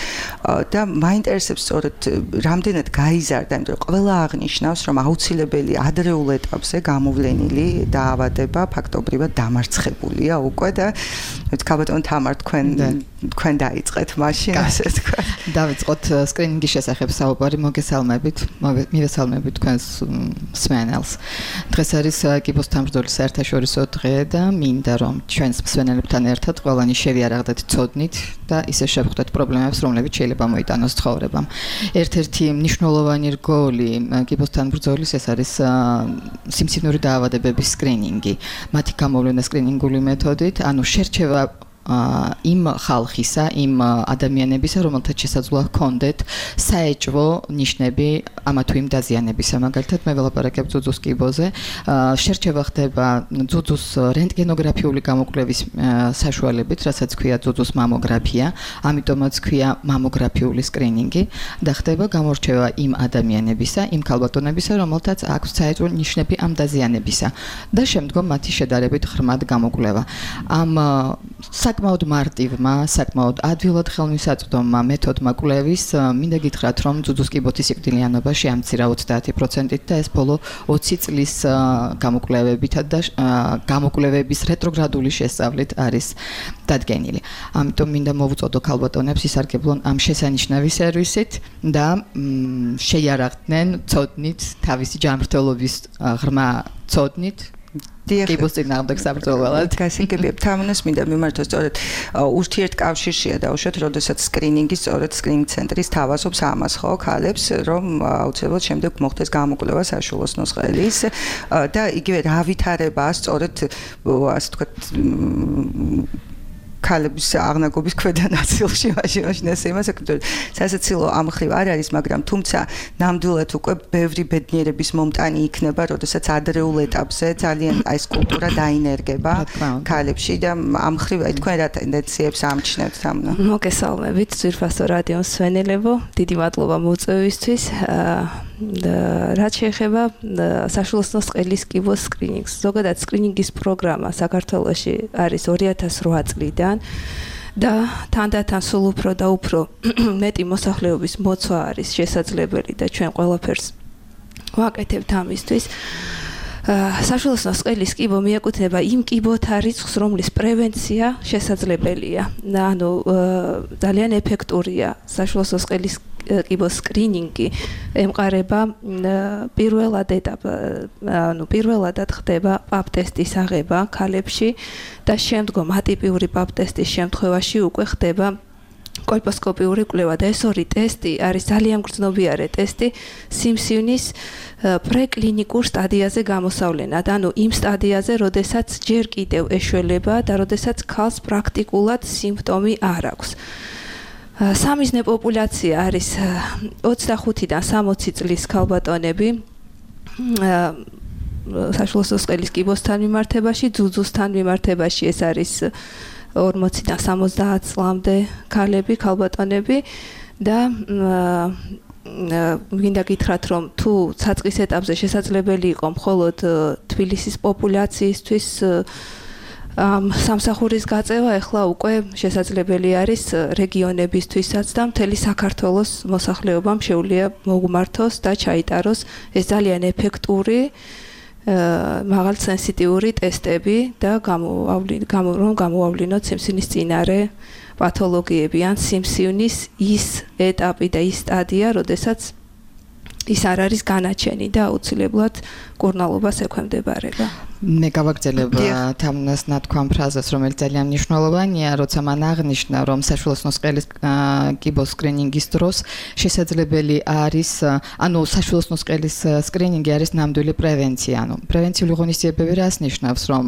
[SPEAKER 4] და მაინტერესებს სწორედ რამდენად გაიზარდა, იმიტომ რომ ყველა აღნიშნავს, რომ აუცილებელი ადრეულ ეტაპზე გამოვლენილი დაავადება ფაქტობრივად დამარცხებულია უკვე და ქალბატონ თამარ თქვენ თქვენ დაიწყეთ მაშინ ასე თქვა.
[SPEAKER 6] დავიწყოთ სკრინინგის შესახებ საუბარი, მოგესალმებით, მივესალმებით თქვენს მსმენელს. დღეს არის კიბოს თამბრძოლის საერთაშორისო დღე და მინდა რომ ჩვენს მსმენელებთან ერთად ყველანი შევიარაღდეთ ცოდნით და ისე შევხვდეთ პრობლემებს, რომლებიც შეიძლება მოიტანოს ცხოვრებამ. ერთ-ერთი მნიშვნელოვანი რგოლი კიბოს თამბრძოლის ეს არის სიმსივნური დაავადებების სკრინინგი. მათი გამოვლენა სკრინინგული მეთოდით, ანუ შერჩევა იმ ხალხისა, იმ ადამიანებისა, რომელთაც შესაძლოა ჰქონდეთ საეჭვო ნიშნები ამა თუ იმ დაზიანებისა. მაგალითად, მე ველაპარაკებ ძუძუს კიბოზე. შერჩევა ხდება ძუძუს რენტგენოგრაფიული გამოკვლევის საშუალებით, რასაც ქვია ძუძუს მამოგრაფია, ამიტომაც ქვია მამოგრაფიული სკრინინგი და ხდება გამორჩევა იმ ადამიანებისა, იმ ქალბატონებისა, რომელთაც აქვს საეჭვო ნიშნები ამ დაზიანებისა და შემდგომ მათი შედარებით ღრმად გამოკვლევა. ამ საკმაოდ მარტივმა, საკმაოდ ადვილად ხელმისაწვდომმა მეთოდმა კვლევის მინდა გითხრათ, რომ ძუძუს კიბოთის სიკვდილიანობა შეამცირა ოცდაათი პროცენტით და ეს ბოლო ოცი წლის გამოკვლევებითა და გამოკვლევების რეტროგრადული შესწავლით არის დადგენილი. ამიტომ მინდა მოვუწოდო ქალბატონებს ისარგებლონ ამ შესანიშნავი სერვისით და შეიარაღდნენ ცოდნით თავისი ჯანმრთელობის ღრმა ცოდნით კიბოს წინააღმდეგ საბრძოლველად.
[SPEAKER 4] გასაგებია, თამუნას მინდა მიმართოს სწორედ ურთიერთკავშირშია დაუშვათ, როდესაც სკრინინგი სწორედ სკრინინგ ცენტრის თავაზობს ამას, ხო, ქალებს, რომ აუცილებლად შემდეგ მოხდეს გამოკვლევა საშუალოსნოს ყელის და იგივე რა ვითარებაა სწორედ ასე ვთქვათ ქალების აღნაგობის ქვედა ნაწილში მაშინ ეს იმას აკეთებს. სასაცილო ამ ხრივ არ არის, მაგრამ თუმცა ნამდვილად უკვე ბევრი ბედნიერების მომტანი იქნება, როდესაც ადრეულ ეტაპზე ძალიან ეს კულტურა დაინერგება ქალებში და ამ ხრივ თქვენ რა ტენდენციებს ამჩნევთ თამნა?
[SPEAKER 7] მოგესალმებით, ძვირფასო რადიო მსმენელებო, დიდი მადლობა მოწვევისთვის. და რაც შეეხება საშუალოსნოს ყელის კიბოს სკრინინგს. ზოგადად სკრინინგის პროგრამა საქართველოში არის ორი ათას რვა წლიდან და თანდათან სულ უფრო და უფრო მეტი მოსახლეობის მოცვა არის შესაძლებელი და ჩვენ ყველაფერს ვაკეთებთ ამისთვის. საშუალო სყელის კიბო მიეკუთვნება იმ კიბოთა რიცხვს, რომლის პრევენცია შესაძლებელია. ანუ ძალიან ეფექტურია საშუალო სყელის კიბოს სკრინინგი ემყარება პირველად ეტაპ, ანუ პირველადად ხდება პაპ ტესტის აღება ქალებში და შემდგომ ატიპიური პაპ ტესტის შემთხვევაში უკვე ხდება კოლპოსკოპიური კვლევა და ეს ორი ტესტი არის ძალიან გრძნობიარე ტესტი სიმსივნის პრეკლინიკურ სტადიაზე გამოსავლენად, ანუ იმ სტადიაზე, როდესაც ჯერ კიდევ ეშველება და როდესაც ქალს პრაქტიკულად სიმპტომი არ აქვს. სამიზნე პოპულაცია არის ოცდახუთიდან სამოცი წლის ქალბატონები საშუალო სყელის კიბოსთან მიმართებაში, ძუძუსთან მიმართებაში ეს არის ორმოციდან სამოცდაათ წლამდე ქალები, ქალბატონები და მინდა გითხრათ, რომ თუ საწყის ეტაპზე შესაძლებელი იყო მხოლოდ თბილისის პოპულაციისთვის ამ სამსახურის გაწევა, ახლა უკვე შესაძლებელი არის რეგიონებისთვისაც და მთელი საქართველოს მოსახლეობამ შეუძლია მოგვმართოს და ჩაიტაროს ეს ძალიან ეფექტური მაღალ სენსიტიური ტესტები და რომ გამოავლინოთ სიმსივნის წინარე პათოლოგიები ან სიმსივნის ის ეტაპი და ის სტადია, როდესაც ის არ არის განაჩენი და აუცილებლად კურნალობას ექვემდებარება.
[SPEAKER 8] მე გავაგრძელებ თამნას ნათქვამ ფრაზას, რომელიც ძალიან მნიშვნელოვანია, როცა მან აღნიშნა, რომ საშუალო სყელის კიბოს სკრინინგის დროს შესაძლებელი არის, ანუ საშუალო სყელის სკრინინგი არის ნამდვილი პრევენცია, ანუ პრევენციული ღონისძიებები რას ნიშნავს, რომ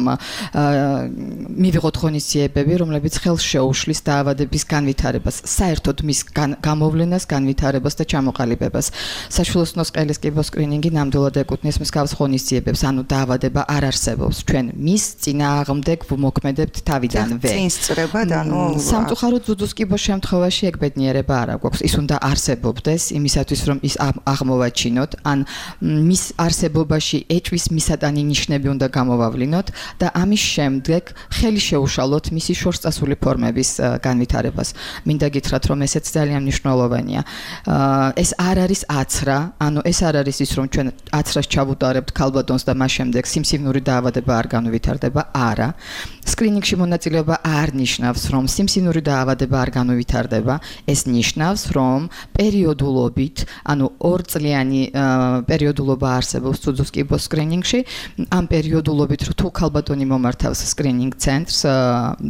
[SPEAKER 8] მივიღოთ ღონისძიებები, რომლებიც ხელს შეუშლის დაავადების განვითარებას, საერთოდ მის გამოვლენას, განვითარებას და ჩამოყალიბებას. საშუალო სყელის კიბოს სკრინინგი ნამდვილად ეკუთვნის მსგავს ღონისძიებებს, ანუ დაავადება არ არის ჩვენ მის წინააღმდეგ ვმოქმედებთ თავიდანვე.
[SPEAKER 4] წინსწრება და ანუ
[SPEAKER 8] სამწუხაროდ ძუძუს კიბოს შემთხვევაში ეგ ბედნიერება არ აქვს. ის უნდა არსებობდეს იმისათვის, რომ ის აღმოვაჩინოთ, ან მის არსებობაში ეჭვის მისატანი ნიშნები უნდა გამოვავლინოთ და ამის შემდეგ ხელი შეუშალოთ მისი შორსწასული ფორმების განვითარებას. მინდა გითხრათ, რომ ესეც ძალიან მნიშვნელოვანია. ეს არ არის აცრა, ანუ ეს არ არის ის, რომ ჩვენ აცრას ჩავუტარებთ ქალბატონს და მას შემდეგ სიმსივნური დაავადება არ განვითარდება, არა. სკრინინგში მონაწილეობა არ ნიშნავს, რომ სიმსივნური დაავადება არ განვითარდება, ეს ნიშნავს, რომ პერიოდულობით, ანუ ორწლიანი პერიოდულობა არსებობს ძუძუს კიბოს სკრინინგში, ამ პერიოდულობით თუ ქალბატონი მომართავს სკრინინგ ცენტრს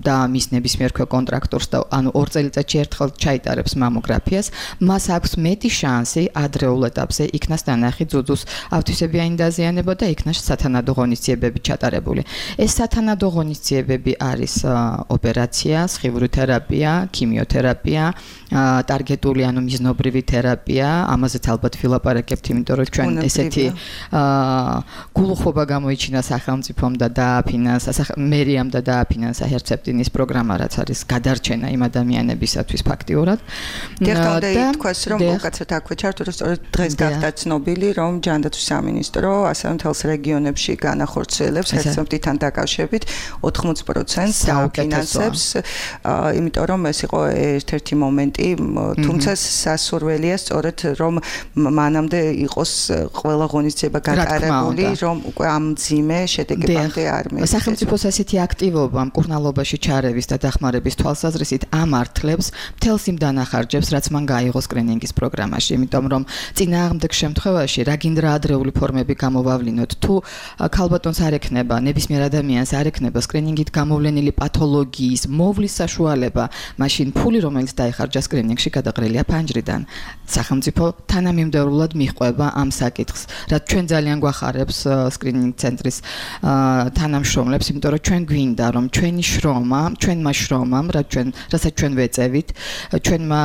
[SPEAKER 8] და მის ნებისმიერ კონტრაქტორს და ანუ ორ წელიწადში ერთხელ ჩაიტარებს მამოგრაფიას, მას აქვს მეტი შანსი ადრეულ ეტაპზე იქნას დანახი ძუძუს ავთვისებიანი დაზიანება და იქნას სათანადო ღონისძიებები ჩატარებული. ეს სათანადო ღონისძიებები არის ოპერაცია, სხივური თერაპია, ქიმიოთერაპია, ტარგეტული ანუ მიზნობრივი თერაპია, ამაზეც ალბათ ვილაპარაკებთ, იმიტომ რომ ჩვენ ესეთი გულუხობა გამოიჩინა სახელმწიფომ და დააფინანსა, მერიამ და დააფინანსა ჰერცეპტინის პროგრამა, რაც არის გადარჩენა იმ ადამიანებისათვის ფაქტიურად.
[SPEAKER 4] და თქვას, რომ უკაცრავად აქვე ჩართო, რომ სწორედ დღეს გახდა ცნობილი, რომ ჯანდაცვის სამინისტრო ასევე მთელს რეგიონებში განახორციელებს ჰერცეპტინთან დაკავშირებით ოთხმოცი პროცენტს დააფინანსებს, იმიტომ რომ ეს იყო ერთ-ერთი მომენტი, თუმცა სასურველია სწორედ რომ მანამდე იყოს ყველა ღონისძიება გატარებული, რომ უკვე ამ მძიმე შედეგებამდე არ მიიღოს.
[SPEAKER 8] სახელმწიფოს ასეთი აქტივობა მკურნალობაში ჩარევის და დახმარების თვალსაზრისით ამართლებს მთელს იმ დანახარჯებს, რაც მან გაიღო სკრინინგის პროგრამაში, იმიტომ რომ წინააღმდეგ შემთხვევაში რა გინდა ადრეული ფორმები გამოვავლინოთ, თუ ქალბატონს არ ექნება, ნებისმიერ ადამიანს არ ექნება სკრინინგით გამოვლენილი პათოლოგიის მოვლის საშუალება, მაშინ ფული, რომელიც დაიხარჯა სკრინინგში, გადაყრილია ფანჯრიდან. სახელმწიფო თანამიმდევრულად მიჰყვება ამ საკითხს, რაც ჩვენ ძალიან გვახარებს სკრინინგ ცენტრის თანამშრომლებს, იმიტომ რომ ჩვენ გვინდა, რომ ჩვენი შრომა, ჩვენმა შრომამ, რაც ჩვენ, რასაც ჩვენ ვეწევით, ჩვენმა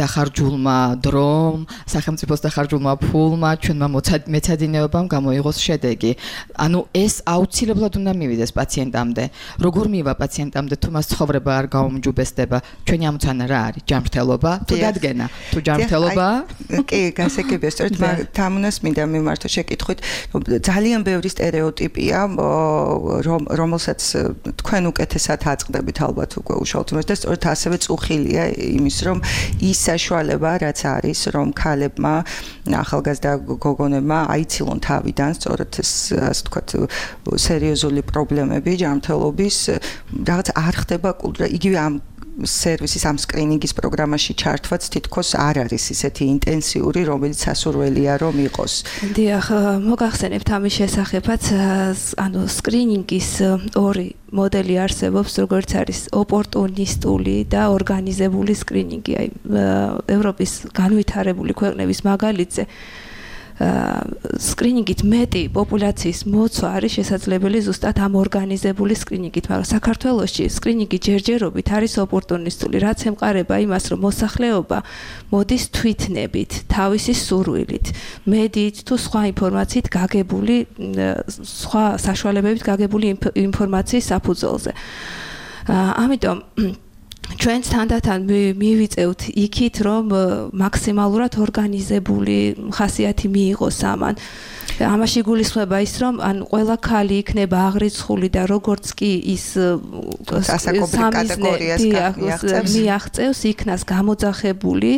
[SPEAKER 8] დახარჯულმა დრომ, სახელმწიფოს დახარჯულმა ფულმა, ჩვენმა მეცადინეობამ გამოიღოს შედეგი. ანუ ეს ეს აუცილებლად უნდა მივიდეს პაციენტამდე. როგორ მივა პაციენტამდე, თუ მას ცხოვრება არ გაუმჯობესდება, ჩვენი ამოცანა რა არის? ჯანმრთელობა თუ დადგენა? თუ ჯანმრთელობა?
[SPEAKER 4] კი, გასაგებია, სწორედ თამუნას მინდა მიმართო შეკითხვით, ძალიან ბევრი სტერეოტიპია, რომელსაც თქვენ უკეთესად აწყდებით ალბათ უკვე უშუალოდ, და სწორედ ასევე წუხილია იმის, რომ ის საშუალება, რაც არის, რომ ქალებმა, ახალგაზრდა გოგონებმა აიცილონ თავიდან, სწორედ ეს, ასე ვთქვათ, სერიოზული პრობლემები ჯანმრთელობის, რაღაც არ ხდება კულტურა, იგივე ამ სერვისის ამ სკრინინგის პროგრამაში ჩართვაც თითქოს არ არის ისეთი ინტენსიური, რომელიც სასურველია რომ იყოს.
[SPEAKER 7] დიახ, მოგახსენებთ ამის შესახებაც, ანუ სკრინინგის ორი მოდელი არსებობს, როგორც არის ოპორტუნისტული და ორგანიზებული სკრინინგი. აი, ევროპის განვითარებული ქვეყნების მაგალითზე სკრინინგით მეტი პოპულაციის მოცვა არის შესაძლებელი ზუსტად ამ ორგანიზებული სკრინინგით, მაგრამ საქართველოში სკრინინგი ჯერჯერობით არის ოპორტუნისტული, რაც ემყარება იმას, რომ მოსახლეობა მოდის თვითნებით, თავისი სურვილით, მედიით თუ სხვა ინფორმაციით გაგებული, სხვა საშუალებებით გაგებული ინფორმაციის საფუძველზე. ამიტომ ჩვენ თანდათან მივიწევთ იქით, რომ მაქსიმალურად ორგანიზებული ხასიათი მიიღოს ამან. ამაში გულისხმება ის, რომ ან ყველა ქალი იქნება აღრიცხული და როგორც კი ის
[SPEAKER 4] ასაკობრივ კატეგორიას
[SPEAKER 7] მიაღწევს, იქნას გამოძახებული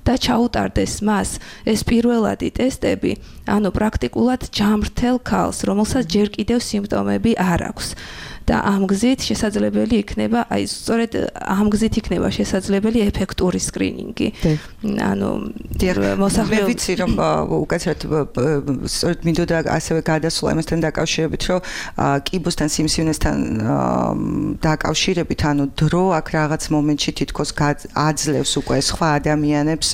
[SPEAKER 7] და ჩაუტარდეს მას ეს პირველადი ტესტები, ანუ პრაქტიკულად ჯანმრთელ ქალს, რომელსაც ჯერ კიდევ სიმპტომები არ აქვს. და ამ გზით შესაძლებელი იქნება, აი სწორედ ამ გზით იქნება შესაძლებელი ეფექტური სკრინინგი. ანუ
[SPEAKER 4] მოსახლეობა მე ვიცი რომ უკეთესად სწორედ მინდოდა ასევე გადასვლა იმასთან დაკავშირებით, რომ კიბოსთან სიმსივნესთან დაკავშირებით, ანუ დრო აქ რაღაც მომენტში თითქოს აძლევს უკვე სხვა ადამიანებს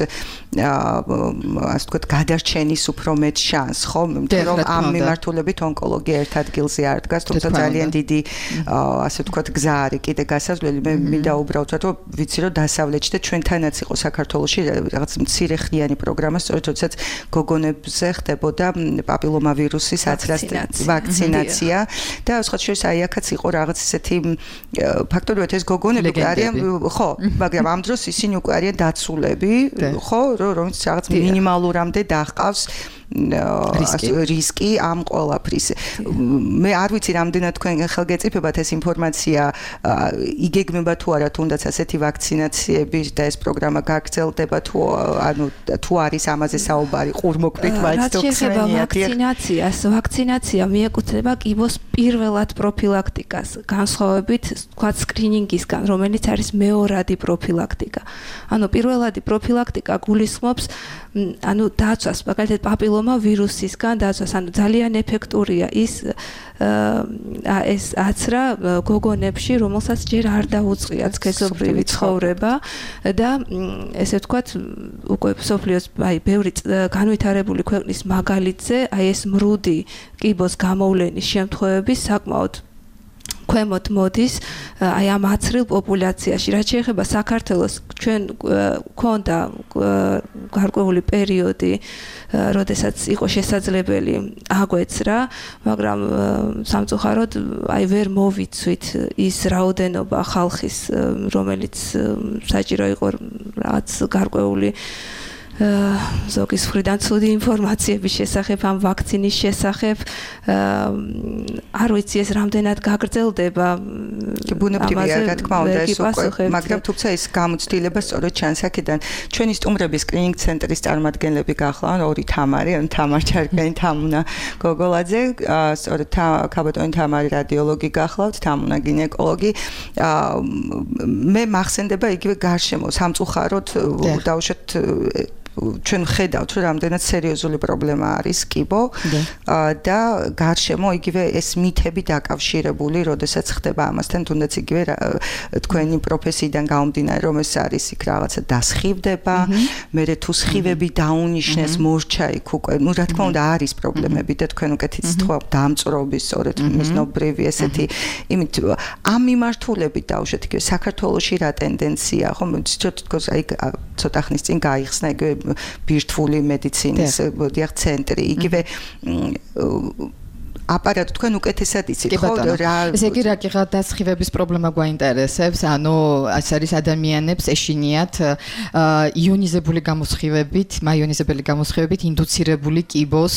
[SPEAKER 4] ასე ვთქვათ გადარჩენის უფრო მეტ შანსს, ხო? რომ ამ მიმართულებით ონკოლოგია ერთ ადგილზე არ დგას, თუმცა ძალიან დიდი ასე ვთქვათ გზა არის კიდე გასაზვლელი. მე მინდა უბრალოდ რომ ვიცი რომ დასავლეთში და ჩვენთანაც იყო საქართველოში რაღაც მცირე ხნიანი პროგრამა, სწორედ როდესაც გოგონებზე ხდებოდა პაპილომავირუსის ვაქცინაცია და სხვა შორის აი აქაც იყო რაღაც ისეთი ფაქტორი, ეს გოგონები არიან, ხო, მაგრამ ამ დროს ისინი უკვე არიან დაცულები, ხო, რომელიც რაღაც მინიმალურამდე დაჰყავს რისკი ამ ყველაფრის. მე არ ვიცი რამდენად თქვენ ხელგეწიფებათ ეს ინფორმაცია იგეგმება თუ არა, თუნდაც ასეთი ვაქცინაციები და ეს პროგრამა გაგრძელდება თუ ანუ თუ არის ამაზე საუბარი ყურმოქმნით მაინც თუ ხსენიათ.
[SPEAKER 7] ვაქცინაციას, ვაქცინაცია მიეკუთვნება კიბოს პირველად პროფილაქტიკას, განსხვავებით თქვა სკრინინგისგან, რომელიც არის მეორადი პროფილაქტიკა. ანუ პირველადი პროფილაქტიკა გულისხმობს ანუ დაცვას, მაგალითად პაპილომავირუსისგან დაცვას, ანუ ძალიან ეფექტურია ის ეს აცრა გოგონებში, რომელსაც ჯერ არ დაუწყია სქესობრივი ცხოვრება და ესე ვთქვათ, უკვე სოფლიოს აი ბევრი განვითარებული ქვეყნის მაგალითზე, აი ეს მრუდი კიბოს გამოვლენის შემთხვევები საკმაოდ ქვემოთ მოდის აი ამ აცრილ პოპულაციაში. რაც შეეხება საქართველოს, ჩვენ გვქონდა გარკვეული პერიოდი, როდესაც იყო შესაძლებელი აგვეცრა, მაგრამ სამწუხაროდ აი ვერ მოვიცვით ის რაოდენობა ხალხის, რომელიც საჭირო იყო რაღაც გარკვეული ზოგის მხრიდან ცუდი ინფორმაციების შესახებ, ამ ვაქცინის შესახებ, არ ვიცი ეს რამდენად გაგრძელდება.
[SPEAKER 4] ბუნებრივია, რა თქმა უნდა, ეს უკვე, მაგრამ თუმცა ეს გამოცდილება სწორედ ჩანს აქედან. ჩვენი სტუმრების სკრინინგ ცენტრის წარმომადგენლები გახლავთ, ორი თამარი, ან თამარ ჩარკვიანი, თამუნა გოგოლაძე, სწორედ ქაბატონი თამარი რადიოლოგი გახლავთ, თამუნა გინეკოლოგი. მე მახსენდება იგივე გარშემო, სამწუხაროდ დაუშვათ ჩვენ ხედავთ, რომ რამდენად სერიოზული პრობლემა არის კიბო და გარშემო იგივე ეს მითები დაკავშირებული, როდესაც ხდება ამასთან, თუნდაც იგივე თქვენი პროფესიიდან გამომდინარე, რომ ეს არის იქ რაღაცა დასხივდება, მერე თუ სხივები დაუნიშნეს, მორჩა იქ უკვე, ну რა თქმა უნდა არის პრობლემები და თქვენ უკეთ იცით დამწრობის, სწორედ მიზნობრივი ესეთი, იმით ამ მიმართულებით დაუშვათ იგივე საქართველოში რა ტენდენცია, ხო, თითქოს აი ცოტა ხნის წინ გაიხსნა იგივე ბირთვული მედიცინის დიახ ცენტრი, იგივე აპარატო თქვენ უკეთესად იცით,
[SPEAKER 8] ხო? ესე იგი რა კი გადასხივების პრობლემა გვაინტერესებს, ანუ ეს არის ადამიანებს ეშინიათ იონიზებული გამოსხივებით, მაიონიზებელი გამოსხივებით ინდუცირებული კიბოს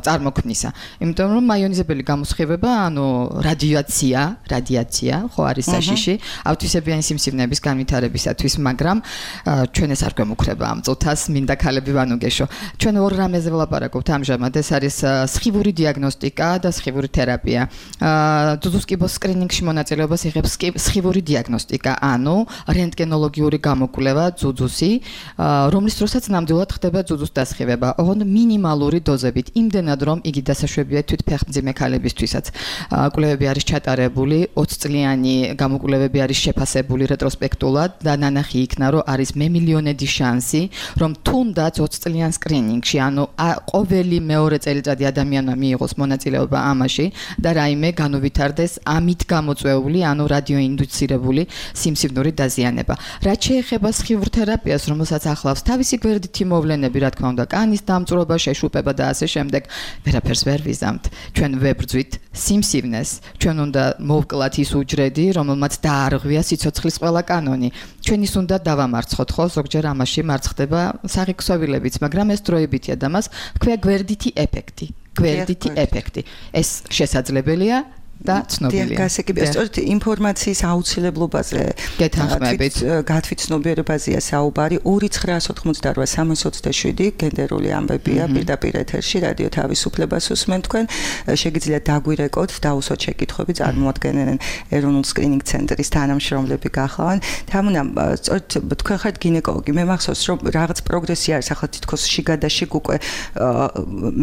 [SPEAKER 8] წარმოქმნისა. იმიტომ რომ მაიონიზებელი გამოსხივება, ანუ რადიაცია, რადიაცია, ხო არის საშიში, ავთვისებიანი სიმსივნეების განვითარებისათვის, მაგრამ ჩვენ ეს არ გვემუქრება ამ წუთას, მინდა ქალები ვანუგეშო. ჩვენ ორ რამეზე ვლაპარაკობთ ამჟამად, ეს არის სხივური დიაგნოსტიკა და სხივური თერაპია. ძუძუს კიბოს სკრინინგში მონაწილეობას იღებს სხივური დიაგნოსტიკა, ანუ რენტგენოლოგიური გამოკვლევა ძუძუსი, რომლის დროსაც ნამდვილად ხდება ძუძუს დასხივება, ოღონდ მინიმალური დოზებით, იმდენად რომ იგი დასაშვებია თვით ფეხმძიმე ქალებისთვისაც. კვლევები არის ჩატარებული, ოცი წლიანი გამოკვლევები არის შეფასებული რეტროსპექტულად და ნანახი იქნა, რომ არის მემილიონედი შანსი, რომ თუნდაც ოცი წლიან სკრინინგში, ანუ ყოველი მეორე წელიწადი ადამიანმა მიიღოს მონაწილეობა ამაში და რაიმე განუვითარდეს ამით გამოწვეული, ანუ რადიოინდუცირებული სიმსივნური დაზიანება. რაც შეეხება სხივურ თერაპიას, რომელსაც ახლავს თავისი გვერდითი მოვლენები, რა თქმა უნდა, კანის დამწვრობა, შეშუპება და ასე შემდეგ, ვერაფერს ვერ ვიზამთ. ჩვენ ვებრძვით სიმსივნეს, ჩვენ უნდა მოვკლათ ის უჯრედი, რომელმაც დაარღვია სიცოცხლის ყველა კანონი. ჩვენ ის უნდა დავამარცხოთ, ხო, ზოგჯერ ამაში მარცხდება საღიქსოვილებიც, მაგრამ ეს დროებითია და მას ქვია გვერდითი ეფექტი. გვერდითი ეფექტი. ეს შესაძლებელია და ცნობილია.
[SPEAKER 4] გასაგებია, სწორედ ინფორმაციის აუცილებლობაზე
[SPEAKER 8] გეთანხმებით,
[SPEAKER 4] გათვითცნობიერებაზეა საუბარი. ორი ცხრაას ოცდაოთხმოცდაოთხ სამას ოცდაშვიდი გენდერული ამბებია, პირდაპირ ეთერში რადიო თავისუფლებას უსმენთ თქვენ. შეგიძლიათ დაგვირეკოთ, დაუსვათ შეკითხვები, წარმოადგენენ ეროვნულ სკრინინგ ცენტრის თანამშრომლები გახლავენ. თამუნა, სწორედ თქვენ ხართ გინეკოლოგი. მე მახსოვს, რომ რაღაც პროგრესი არის, ახლა თითქოს შიგადაშიგ უკვე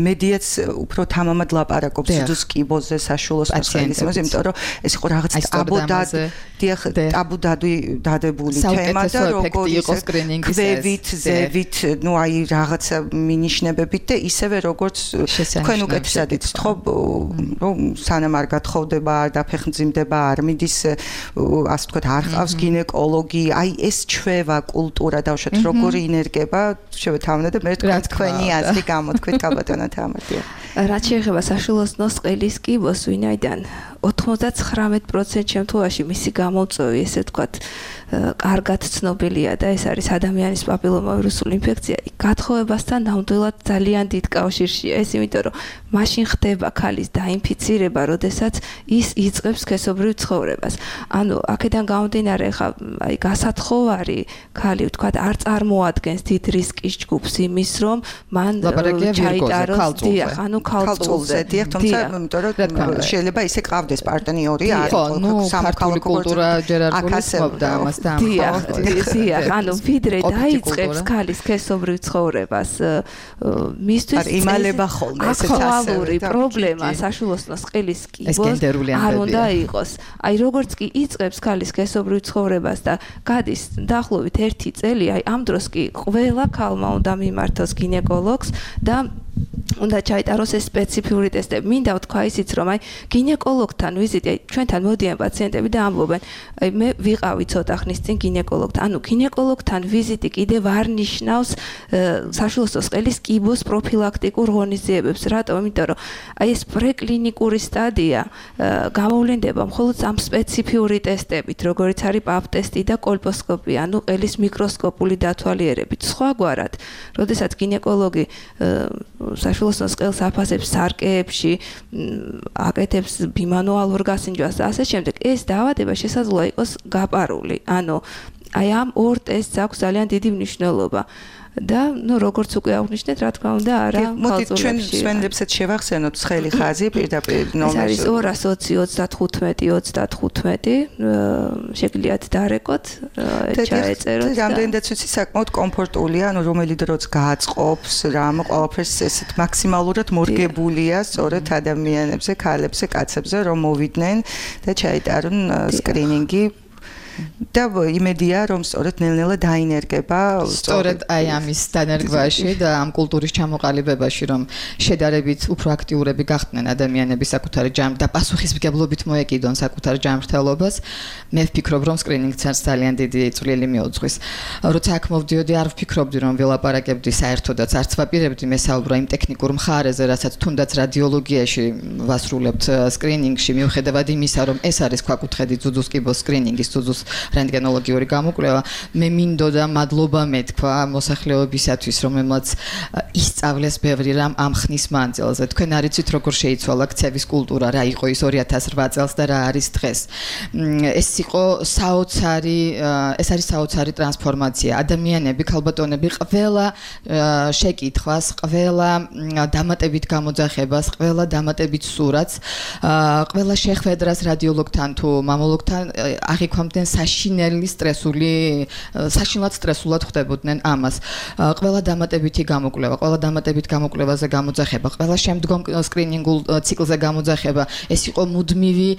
[SPEAKER 4] მედიაც უფრო თამამად ლაპარაკობს ძუძუს კიბოზე, საშუალო სპეციალისტებს, იმიტომ რომ ეს იყო რაღაც ტაბუდად, დიახ, ტაბუდადვი დადებული თემა და როგორ
[SPEAKER 8] იყო სკრინინგის
[SPEAKER 4] ქვევით, ზევით, ნუ აი რაღაცა მინიშნებებით და ისევე როგორც თქვენ უკეთესად იცით, ხო, რომ სანამ არ გათხოვდება, არ დაფეხმძიმდება, არ მიდის, ასე ვთქვათ, არ ყავს გინეკოლოგი, აი ეს ჩვევა კულტურა დავუშვათ, როგორი ინერგება, შევეთავნე და მე თქვენი აზრი გამოთქვით, კაბატონო თამარია.
[SPEAKER 7] რაც შეეხება საშუალო სყელის კიბოს, ვინაიდან ოთხმოცდათხრამეტ პროცენტ შემთხვევაში მისი გამოწვევი, ესე ვთქვათ, კარგად ცნობილია და ეს არის ადამიანის პაპილომავირუსული ინფექცია. გათხოვებასთან ნამდვილად ძალიან დიდ კავშირშია ეს, იმიტომ რომ მაშინ ხდება ქალის დაინფიცირება, როდესაც ის იწყებს სქესობრივ ცხოვრებას. ანუ აქედან გამომდინარე, ხა აი გასათხოვარი ქალი, ვთქვათ, არ წარმოადგენს დიდ რისკის ჯგუფს იმის, რომ მან ჩაიტაროს, დიახ, ანუ ქალწულზე,
[SPEAKER 4] დიახ, თუმცა იმიტომ რომ შეიძლება ისე ყავდეს პარტნიორი, არის
[SPEAKER 8] სამოქალაქო კულტურა ჯერ არ გულისხმობდა ამას და
[SPEAKER 7] დიახ, დიახ, ანუ ვიდრე დაიწყებს ქალის სქესობრივ ცხოვრებას, მისთვის
[SPEAKER 4] იმალება ხოლმე ესეც
[SPEAKER 7] აქტუალური პრობლემა საშუალო სყელის კიბოს არ უნდა იყოს. აი როგორც კი იწყებს ქალის სქესობრივ ცხოვრებას და გადის დაახლოებით ერთი წელი, აი ამ დროს კი ყველა ქალმა უნდა მიმართოს გინეკოლოგს და უნდა ჩაიტაროს ეს სპეციფიური ტესტები. მინდა ვთქვა ისიც, რომ აი გინეკოლოგთან ვიზიტი, აი ჩვენთან მოდიან პაციენტები და ამბობენ, აი მე ვიყავი ცოტა ხნის წინ გინეკოლოგთან. ანუ გინეკოლოგთან ვიზიტი კიდევ არ ნიშნავს საშუალო სყელის კიბოს პროფილაქტიკურ ღონისძიებებს. რატომ? იმიტომ რომ აი ეს პრეკლინიკური სტადია გამოვლენდება მხოლოდ ამ სპეციფიური ტესტებით, როგორიც არის პაპ ტესტი და კოლპოსკოპია, ანუ ყელის მიკროსკოპული დათვალიერებით. სხვაგვარად, როდესაც გინეკოლოგი საშუალო სყელს აფასებს სარკეებში, აკეთებს ბიმანუალურ გასინჯვას და ასე შემდეგ, ეს დაავადება შესაძლოა იყოს გაპარული. ანუ აი ამ ორ ტესტს აქვს ძალიან დიდი მნიშვნელობა. და ნუ როგორც უკვე აღნიშნეთ, რა თქმა უნდა, არა
[SPEAKER 4] ხალხურებში. ჩვენ სვენლებსაც შევახსენოთ ცხელი ხაზი პირდაპირ ნომერს.
[SPEAKER 7] ეს არის ორას ოცი ოცდათხუთმეტი ოცდათხუთმეტი, შეგიძლიათ დარეკოთ, ჩაეწეროთ.
[SPEAKER 4] რამდენადაც ვიცი, საკმაოდ კომფორტულია, ანუ რომელი დროც გააწყობს, რამ ყველაფერს ესეთ მაქსიმალურად მორგებულია სწორედ ადამიანებზე, ქალებზე, კაცებზე, რომ მოვიდნენ და ჩაიტარონ სკრინინგი. და იმედია რომ სწორედ ნელ-ნელა დაინერგება
[SPEAKER 8] სწორედ აი ამის დანერგვაში და ამ კულტურის ჩამოყალიბებაში რომ შედარებით უფრო აქტიურები გახდნენ ადამიანები საკუთარი ჯამ და პასუხისმგებლობით მოეკიდონ საკუთარ ჯანმრთელობას მე ვფიქრობ რომ სკრინინგსაც ძალიან დიდი წვლილი მიუძღვის როცა აქ მოვდიოდი არ ვფიქრობდი რომ ველაპარაკებდი საერთოდაც არც ვაპირებდი მესაუბრა იმ ტექნიკურ მხარეზე რასაც თუნდაც რადიოლოგიაში ვასრულებთ სკრინინგში მიუხედავად იმისა რომ ეს არის ქვაკუთხედი ძუძუს კიბოს სკრინინგის ძუძუს რენტგენოლოგიური გამოკვლევა მე მინდოდა მადლობა მეთქვა მოსახლეობისათვის რომელმაც ისწავლეს ბევრი რამ ამ ხნის მანძილზე თქვენ არიცით როგორ შეიცვალა ქცევის კულტურა რა იყო ის ორი ათას რვა წელს და რა არის დღეს ეს იყო საოცარი ეს არის საოცარი ტრანსფორმაცია ადამიანები ქალბატონები ყველა შეკითხვას ყველა დამატებით გამოძახებას ყველა დამატებით სურათს ყველა შეხვედრას რადიოლოგთან თუ მამოლოგთან აღიქვამდნენ საშინელი სტრესული საშინლად სტრესულად ხდებოდნენ ამას ყველა დამატებითი გამოკვლევა ყველა დამატებით გამოკვლევაზე გამოძახება ყველა შემდგომ სკრინინგულ ციკლზე გამოძახება ეს იყო მუდმივი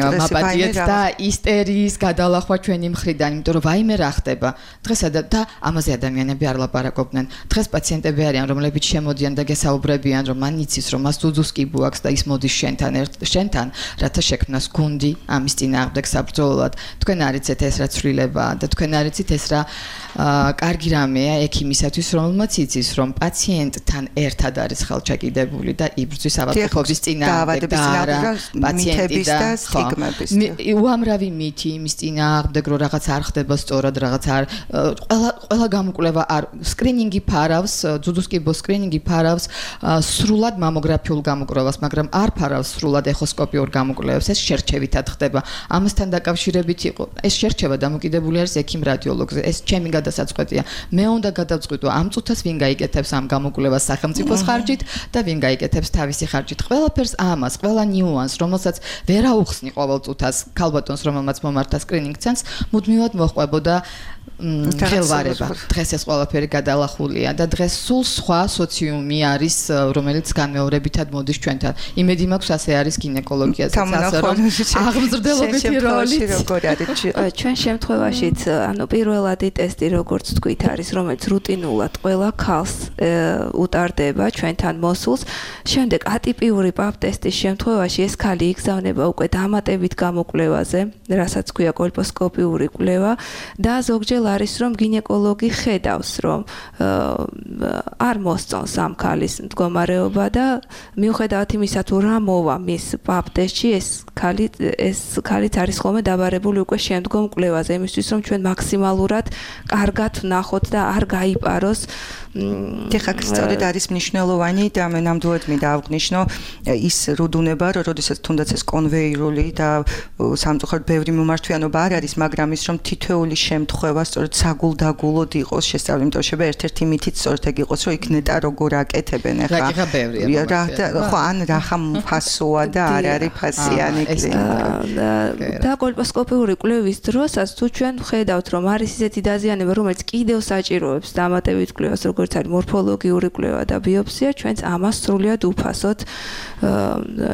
[SPEAKER 8] მაპატიეთ და ისტერიის გადალახვა ჩვენი მხრიდან იმიტომ რომ ვაიმე რა ხდება დღეს და ამაზე ადამიანები არ ლაპარაკობდნენ დღეს პაციენტები არიან რომლებიც შემოდიან და გესაუბრებიან რომ მან იცის რომ მას ძუძუს კიბო აქვს და ის მოდის შენთან ერთ შენთან რათა შექმნას გუნდი ამის წინააღმდეგ საბრძოლოდ თქვენ არიცით ეს რა ცვლილებაა და თქვენ არიცით ეს რა კარგი რამეა ექიმისათვის რომელმაც იცის რომ პაციენტთან ერთად არის ხელჩაკიდებული და იბრძვის ავადმყოფობის წინააღმდეგ და არა პაციენტის და სტიგმების უამრავი მითი იმის წინააღმდეგ რომ რაღაც არ ხდება სწორად რაღაც არ ყველა ყველა გამოკვლევა არ სკრინინგი ფარავს ძუძუს კიბოს სკრინინგი ფარავს სრულად მამოგრაფიულ გამოკვლევას მაგრამ არ ფარავს სრულად ეხოსკოპიურ გამოკვლევებს ეს შერჩევითად ხდება ამასთან დაკავშირებით იყო ეს შერჩევა დამოკიდებული არის ექიმ რადიოლოგზე ეს ჩემი გადასაწყვეტია მე უნდა გადავწყვიტო ამ წუთას ვინ გაიკეთებს ამ გამოკვლევას სახელმწიფოს ხარჯით და ვინ გაიკეთებს თავისი ხარჯით ყველაფერს ამას ყველა ნიუანს რომელსაც ვერ აუხსნი ყოველ წუთას ქალბატონს რომელმაც მომართა სკრინინგ ცენტრს მუდმივად მოჰყვებოდა ხელვარება დღეს ეს ყველაფერი გადალახულია და დღეს სულ სხვა სოციუმი არის რომელიც განმეორებითად მოდის ჩვენთან იმედი მაქვს ასე არის გინეკოლოგიაზე ასე რომ აღმზრდელობითი როლი
[SPEAKER 4] როგორ არის
[SPEAKER 7] ჩვენ შემთხვევაშიც ანუ პირველადი ტესტი როგორც თქვით არის რომელიც რუტინულად ყველა ქალს უტარდება ჩვენთან მოსულს შემდეგ ატიპიური პაპ ტესტის შემთხვევაში ეს ქალი იგზავნება უკვე დამატებით გამოკვლევაზე რასაც ქვია კოლპოსკოპიური კვლევა და ზოგჯერ არის რომ გინეკოლოგი ხედავს რომ არ მოსწონს ამ ქალის მდგომარეობა და მიუხედავად იმისა თუ რა მოვა მის პაპ ტესტში ეს ქალი ეს ქალიც არის ხოლმე დაბარებული უკვე შემდგომ კვლევაზე იმისთვის რომ ჩვენ მაქსიმალურად კარგად ვნახოთ და არ გაიპაროს
[SPEAKER 4] ეხლა სწორედ არის მნიშვნელოვანი და მე ნამდვილად მინდა აღვნიშნო ის რუდუნება რომ როდესაც თუნდაც ეს კონვეირული და სამწუხაროდ ბევრი მომართვიანობა არ არის მაგრამ ის რომ თითოეული შემთხვევა სწორედ საგულდაგულოდ იყოს შესწავლილი იმიტომ შეება ერთ-ერთი მითიც სწორედ ეგ იყოს რომ იქ ნეტა როგორ აკეთებენ ეხლა
[SPEAKER 8] რა ბევრია
[SPEAKER 4] ხო ან რახა ფასოა და არ არის ფასიანი
[SPEAKER 7] და კოლპოსკოპიური კვლევის დროსაც თუ ჩვენ ვხედავთ რომ არის ისეთი დაზიანება რომელიც კიდევ საჭიროებს დამატებით კვლევას როგორც არის მორფოლოგიური კვლევა და ბიოპსია ჩვენც ამას სრულიად უფასოდ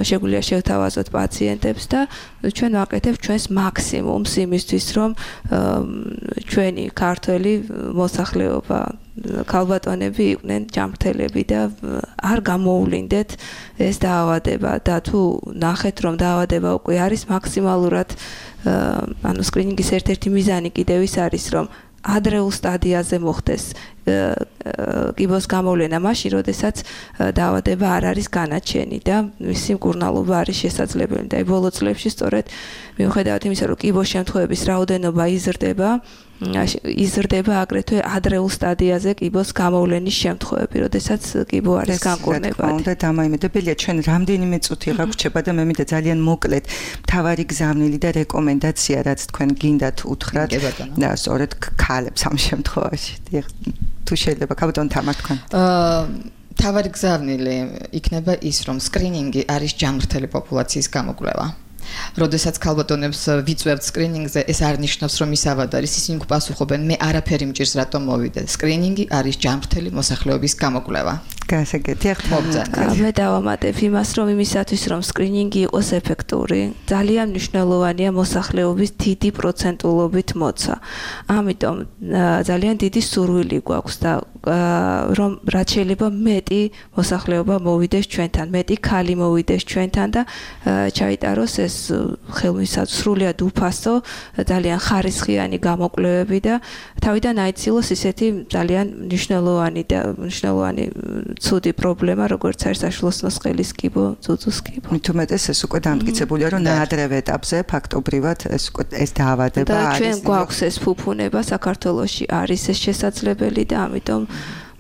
[SPEAKER 7] შეგვიძლია შევთავაზოთ პაციენტებს და ჩვენ ვაკეთებთ ჩვენს მაქსიმუმს იმისთვის რომ ჩვენი ქართველი მოსახლეობა ქალბატონები იყვნენ ჯანმრთელები და არ გამოუვლინდეთ ეს დაავადება და თუ ნახეთ რომ დაავადება უკვე არის მაქსიმალურად ანუ სკრინინგის ერთ-ერთი მიზანი კიდევ ის არის რომ ადრეულ სტადიაზე მოხდეს კიბოს გამოვლენა მაშინ როდესაც დაავადება არ არის განაჩენი და მისი მკურნალობა არის შესაძლებელი და ბოლო წლებში სწორედ მიუხედავად იმისა რომ კიბოს შემთხვევების რაოდენობა იზრდება იზრდება აგრეთვე ადრეულ სტადიაზე კიბოს გამოვლენის შემთხვევები, როდესაც კიბო არის განკურნებადი.
[SPEAKER 4] უნდა დამაიმედებელია ჩვენ რამდენიმე წუთი გაგვრჩება და მე მინდა ძალიან მოკლედ მთავარი გზავნილი და რეკომენდაცია რაც თქვენ გინდათ უთხრათ და სწორედ ქალებს ამ შემთხვევაში. თუ შეიძლება ქალბატონ თამარ თქვენ.
[SPEAKER 8] აა მთავარი გზავნილი იქნება ის რომ სკრინინგი არის ჯანმრთელი პოპულაციის გამოკვლევა. როდესაც ქალბატონებს ვიწვევთ სკრინინგზე, ეს არ ნიშნავს რომ ის ავად არის, ისინი გვპასუხობენ, მე არაფერი მჭირს რატომ მოვიდე. სკრინინგი არის ჯანმრთელი მოსახლეობის გამოკვლევა.
[SPEAKER 4] გასაგებია
[SPEAKER 8] მოგწონთ.
[SPEAKER 7] მე დავამატებ იმას, რომ იმისათვის, რომ სკრინინგი იყოს ეფექტური, ძალიან მნიშვნელოვანია მოსახლეობის დიდი პროცენტულობით მოცა. ამიტომ ძალიან დიდი სურვილი გვაქვს და რომ რაც შეიძლება მეტი მოსახლეობა მოვიდეს ჩვენთან, მეტი ქალი მოვიდეს ჩვენთან და ჩაიტაროს ეს ხელმისაწვდომი სრულიად უფასო, ძალიან ხარისხიანი გამოკვლევები და თავიდან აიცილოს ისეთი ძალიან მნიშვნელოვანი და მნიშვნელოვანი ცუდი პრობლემა, როგორც არის საშუალოსნოს ყელის კიბო, ძუძუს კიბო.
[SPEAKER 4] მით უმეტეს ეს უკვე დამტკიცებულია, რომ ნაადრევ ეტაპზე ფაქტობრივად ეს ეს დაავადება არის.
[SPEAKER 7] და ჩვენ გვაქვს ეს ფუფუნება საქართველოში არის ეს შესაძლებელი და ამიტომ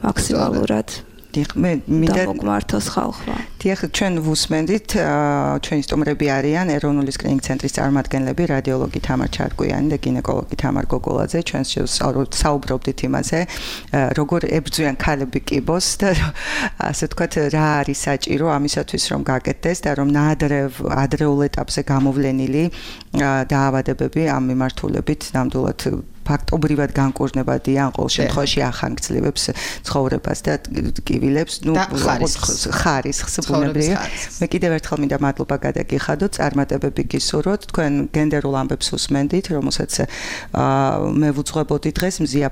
[SPEAKER 7] მაქსიმალურად
[SPEAKER 4] მე მინდა
[SPEAKER 7] მოგმართოს ხალხმა.
[SPEAKER 4] დიახ, ჩვენ ვუსმენდით, ჩვენი სტუმრები არიან ეროვნული სკრინინგ ცენტრის წარმომადგენლები, რადიოლოგი თამარ ჩარკვიანი და გინეკოლოგი თამარ გოგოლაძე. ჩვენ საუბრობდით იმაზე, როგორ ებრძვიან ქალები კიბოს და ასე ვთქვათ, რა არის საჭირო ამისათვის, რომ გაკეთდეს და რომ ნაადრევ ადრეულ ეტაპზე გამოვლენილი დაავადებები ამ მიმართულებით ნამდვილად ფაქტობრივად განკურნებადია, ან ყოველ შემთხვევაში ახანგრძლივებს ცხოვრებას და კივილებს, ნუ ხარისხს ბუნებრივია. მე კიდევ ერთხელ მინდა მადლობა გადაგიხადოთ, წარმატებები გისურვოთ. თქვენ გენდერულ ამბებს უსმენდით, რომელსაც მე ვუძღვებოდი დღეს მზია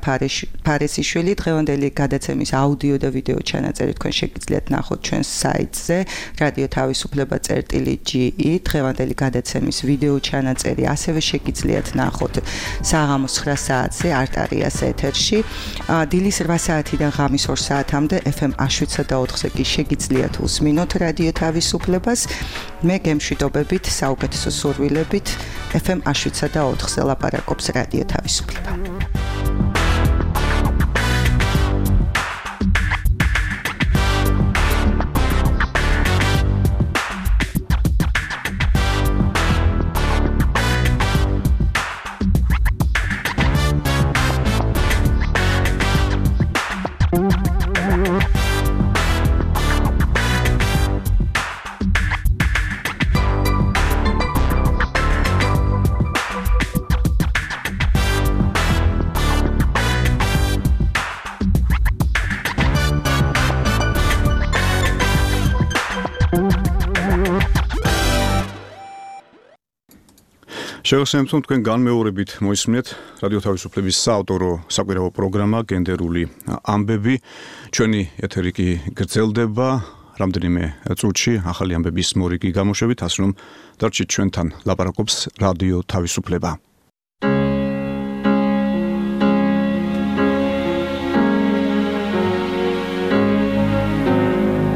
[SPEAKER 4] ფარესიშვილი, დღევანდელი გადაცემის აუდიო და ვიდეო ჩანაწერი თქვენ შეგიძლიათ ნახოთ ჩვენს საიტზე რადიო თავისუფლება წერტილი ჯი ი. დღევანდელი გადაცემის ვიდეო ჩანაწერი ასევე შეგიძლიათ ნახოთ საღამოს ცხრა საათზე არტარიას ეთერში. დილის რვა საათიდან ღამის ორ საათამდე ეფ ემ შვიდსა და ოთხზე კი შეგიძლიათ უსმინოთ რადიო თავისუფლებას. მე გემშვიდობებით, საუკეთესო სურვილებით ეფ ემ შვიდსა და ოთხზე ლაპარაკობს რადიო თავისუფლება.
[SPEAKER 2] შეგახსენებთ, რომ თქვენ განმეორებით მოისმინეთ რადიო თავისუფლების საავტორო საკვირაო პროგრამა გენდერული ამბები. ჩვენი ეთერი კი გრძელდება რამდენიმე წუთში ახალი ამბების მორიგი გამოშვებით, ასე რომ დარჩით ჩვენთან, ლაპარაკობს რადიო თავისუფლება.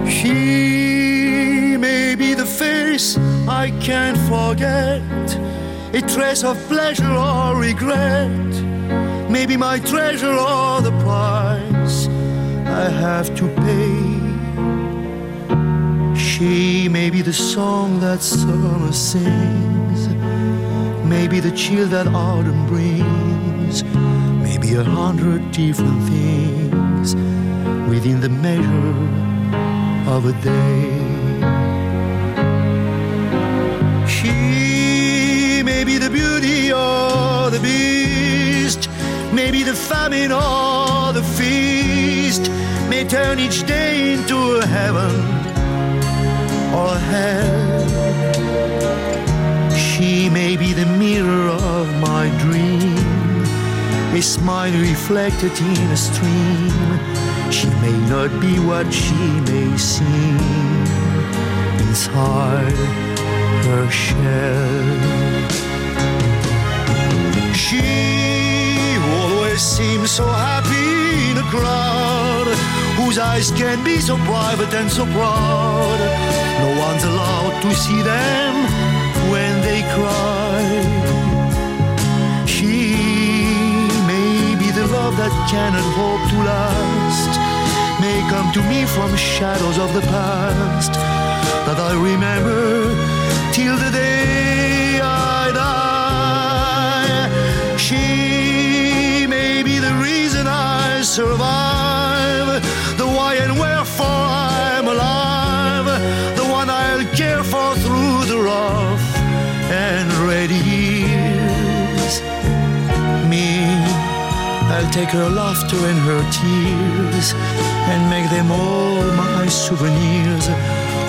[SPEAKER 5] She may be the face I can't forget, a trace of pleasure or regret, maybe my treasure or the price I have to pay. She may be the song that summer sings, maybe the chill that autumn brings, maybe a hundred different things within the measure of a day. She maybe the beauty or the beast, maybe the famine or the feast, may turn each day into a heaven or a hell. She may be the mirror of my dream, a smile reflected in a stream. She may not be what she may seem inside her shell. She always seems so happy in a crowd, whose eyes can be so private and so proud. No one's allowed to see them when they cry. She may be the love that cannot hope to last, may come to me from shadows of the past that I remember till the day I die. She may be the reason I survive, the why and wherefore I'm alive, the one I'll care for through the rough and ready years. Me, I'll take her laughter and her tears and make make them all my souvenirs.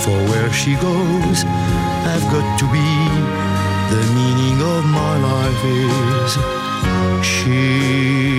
[SPEAKER 5] For where she goes, I've got to be. The meaning of my life is she.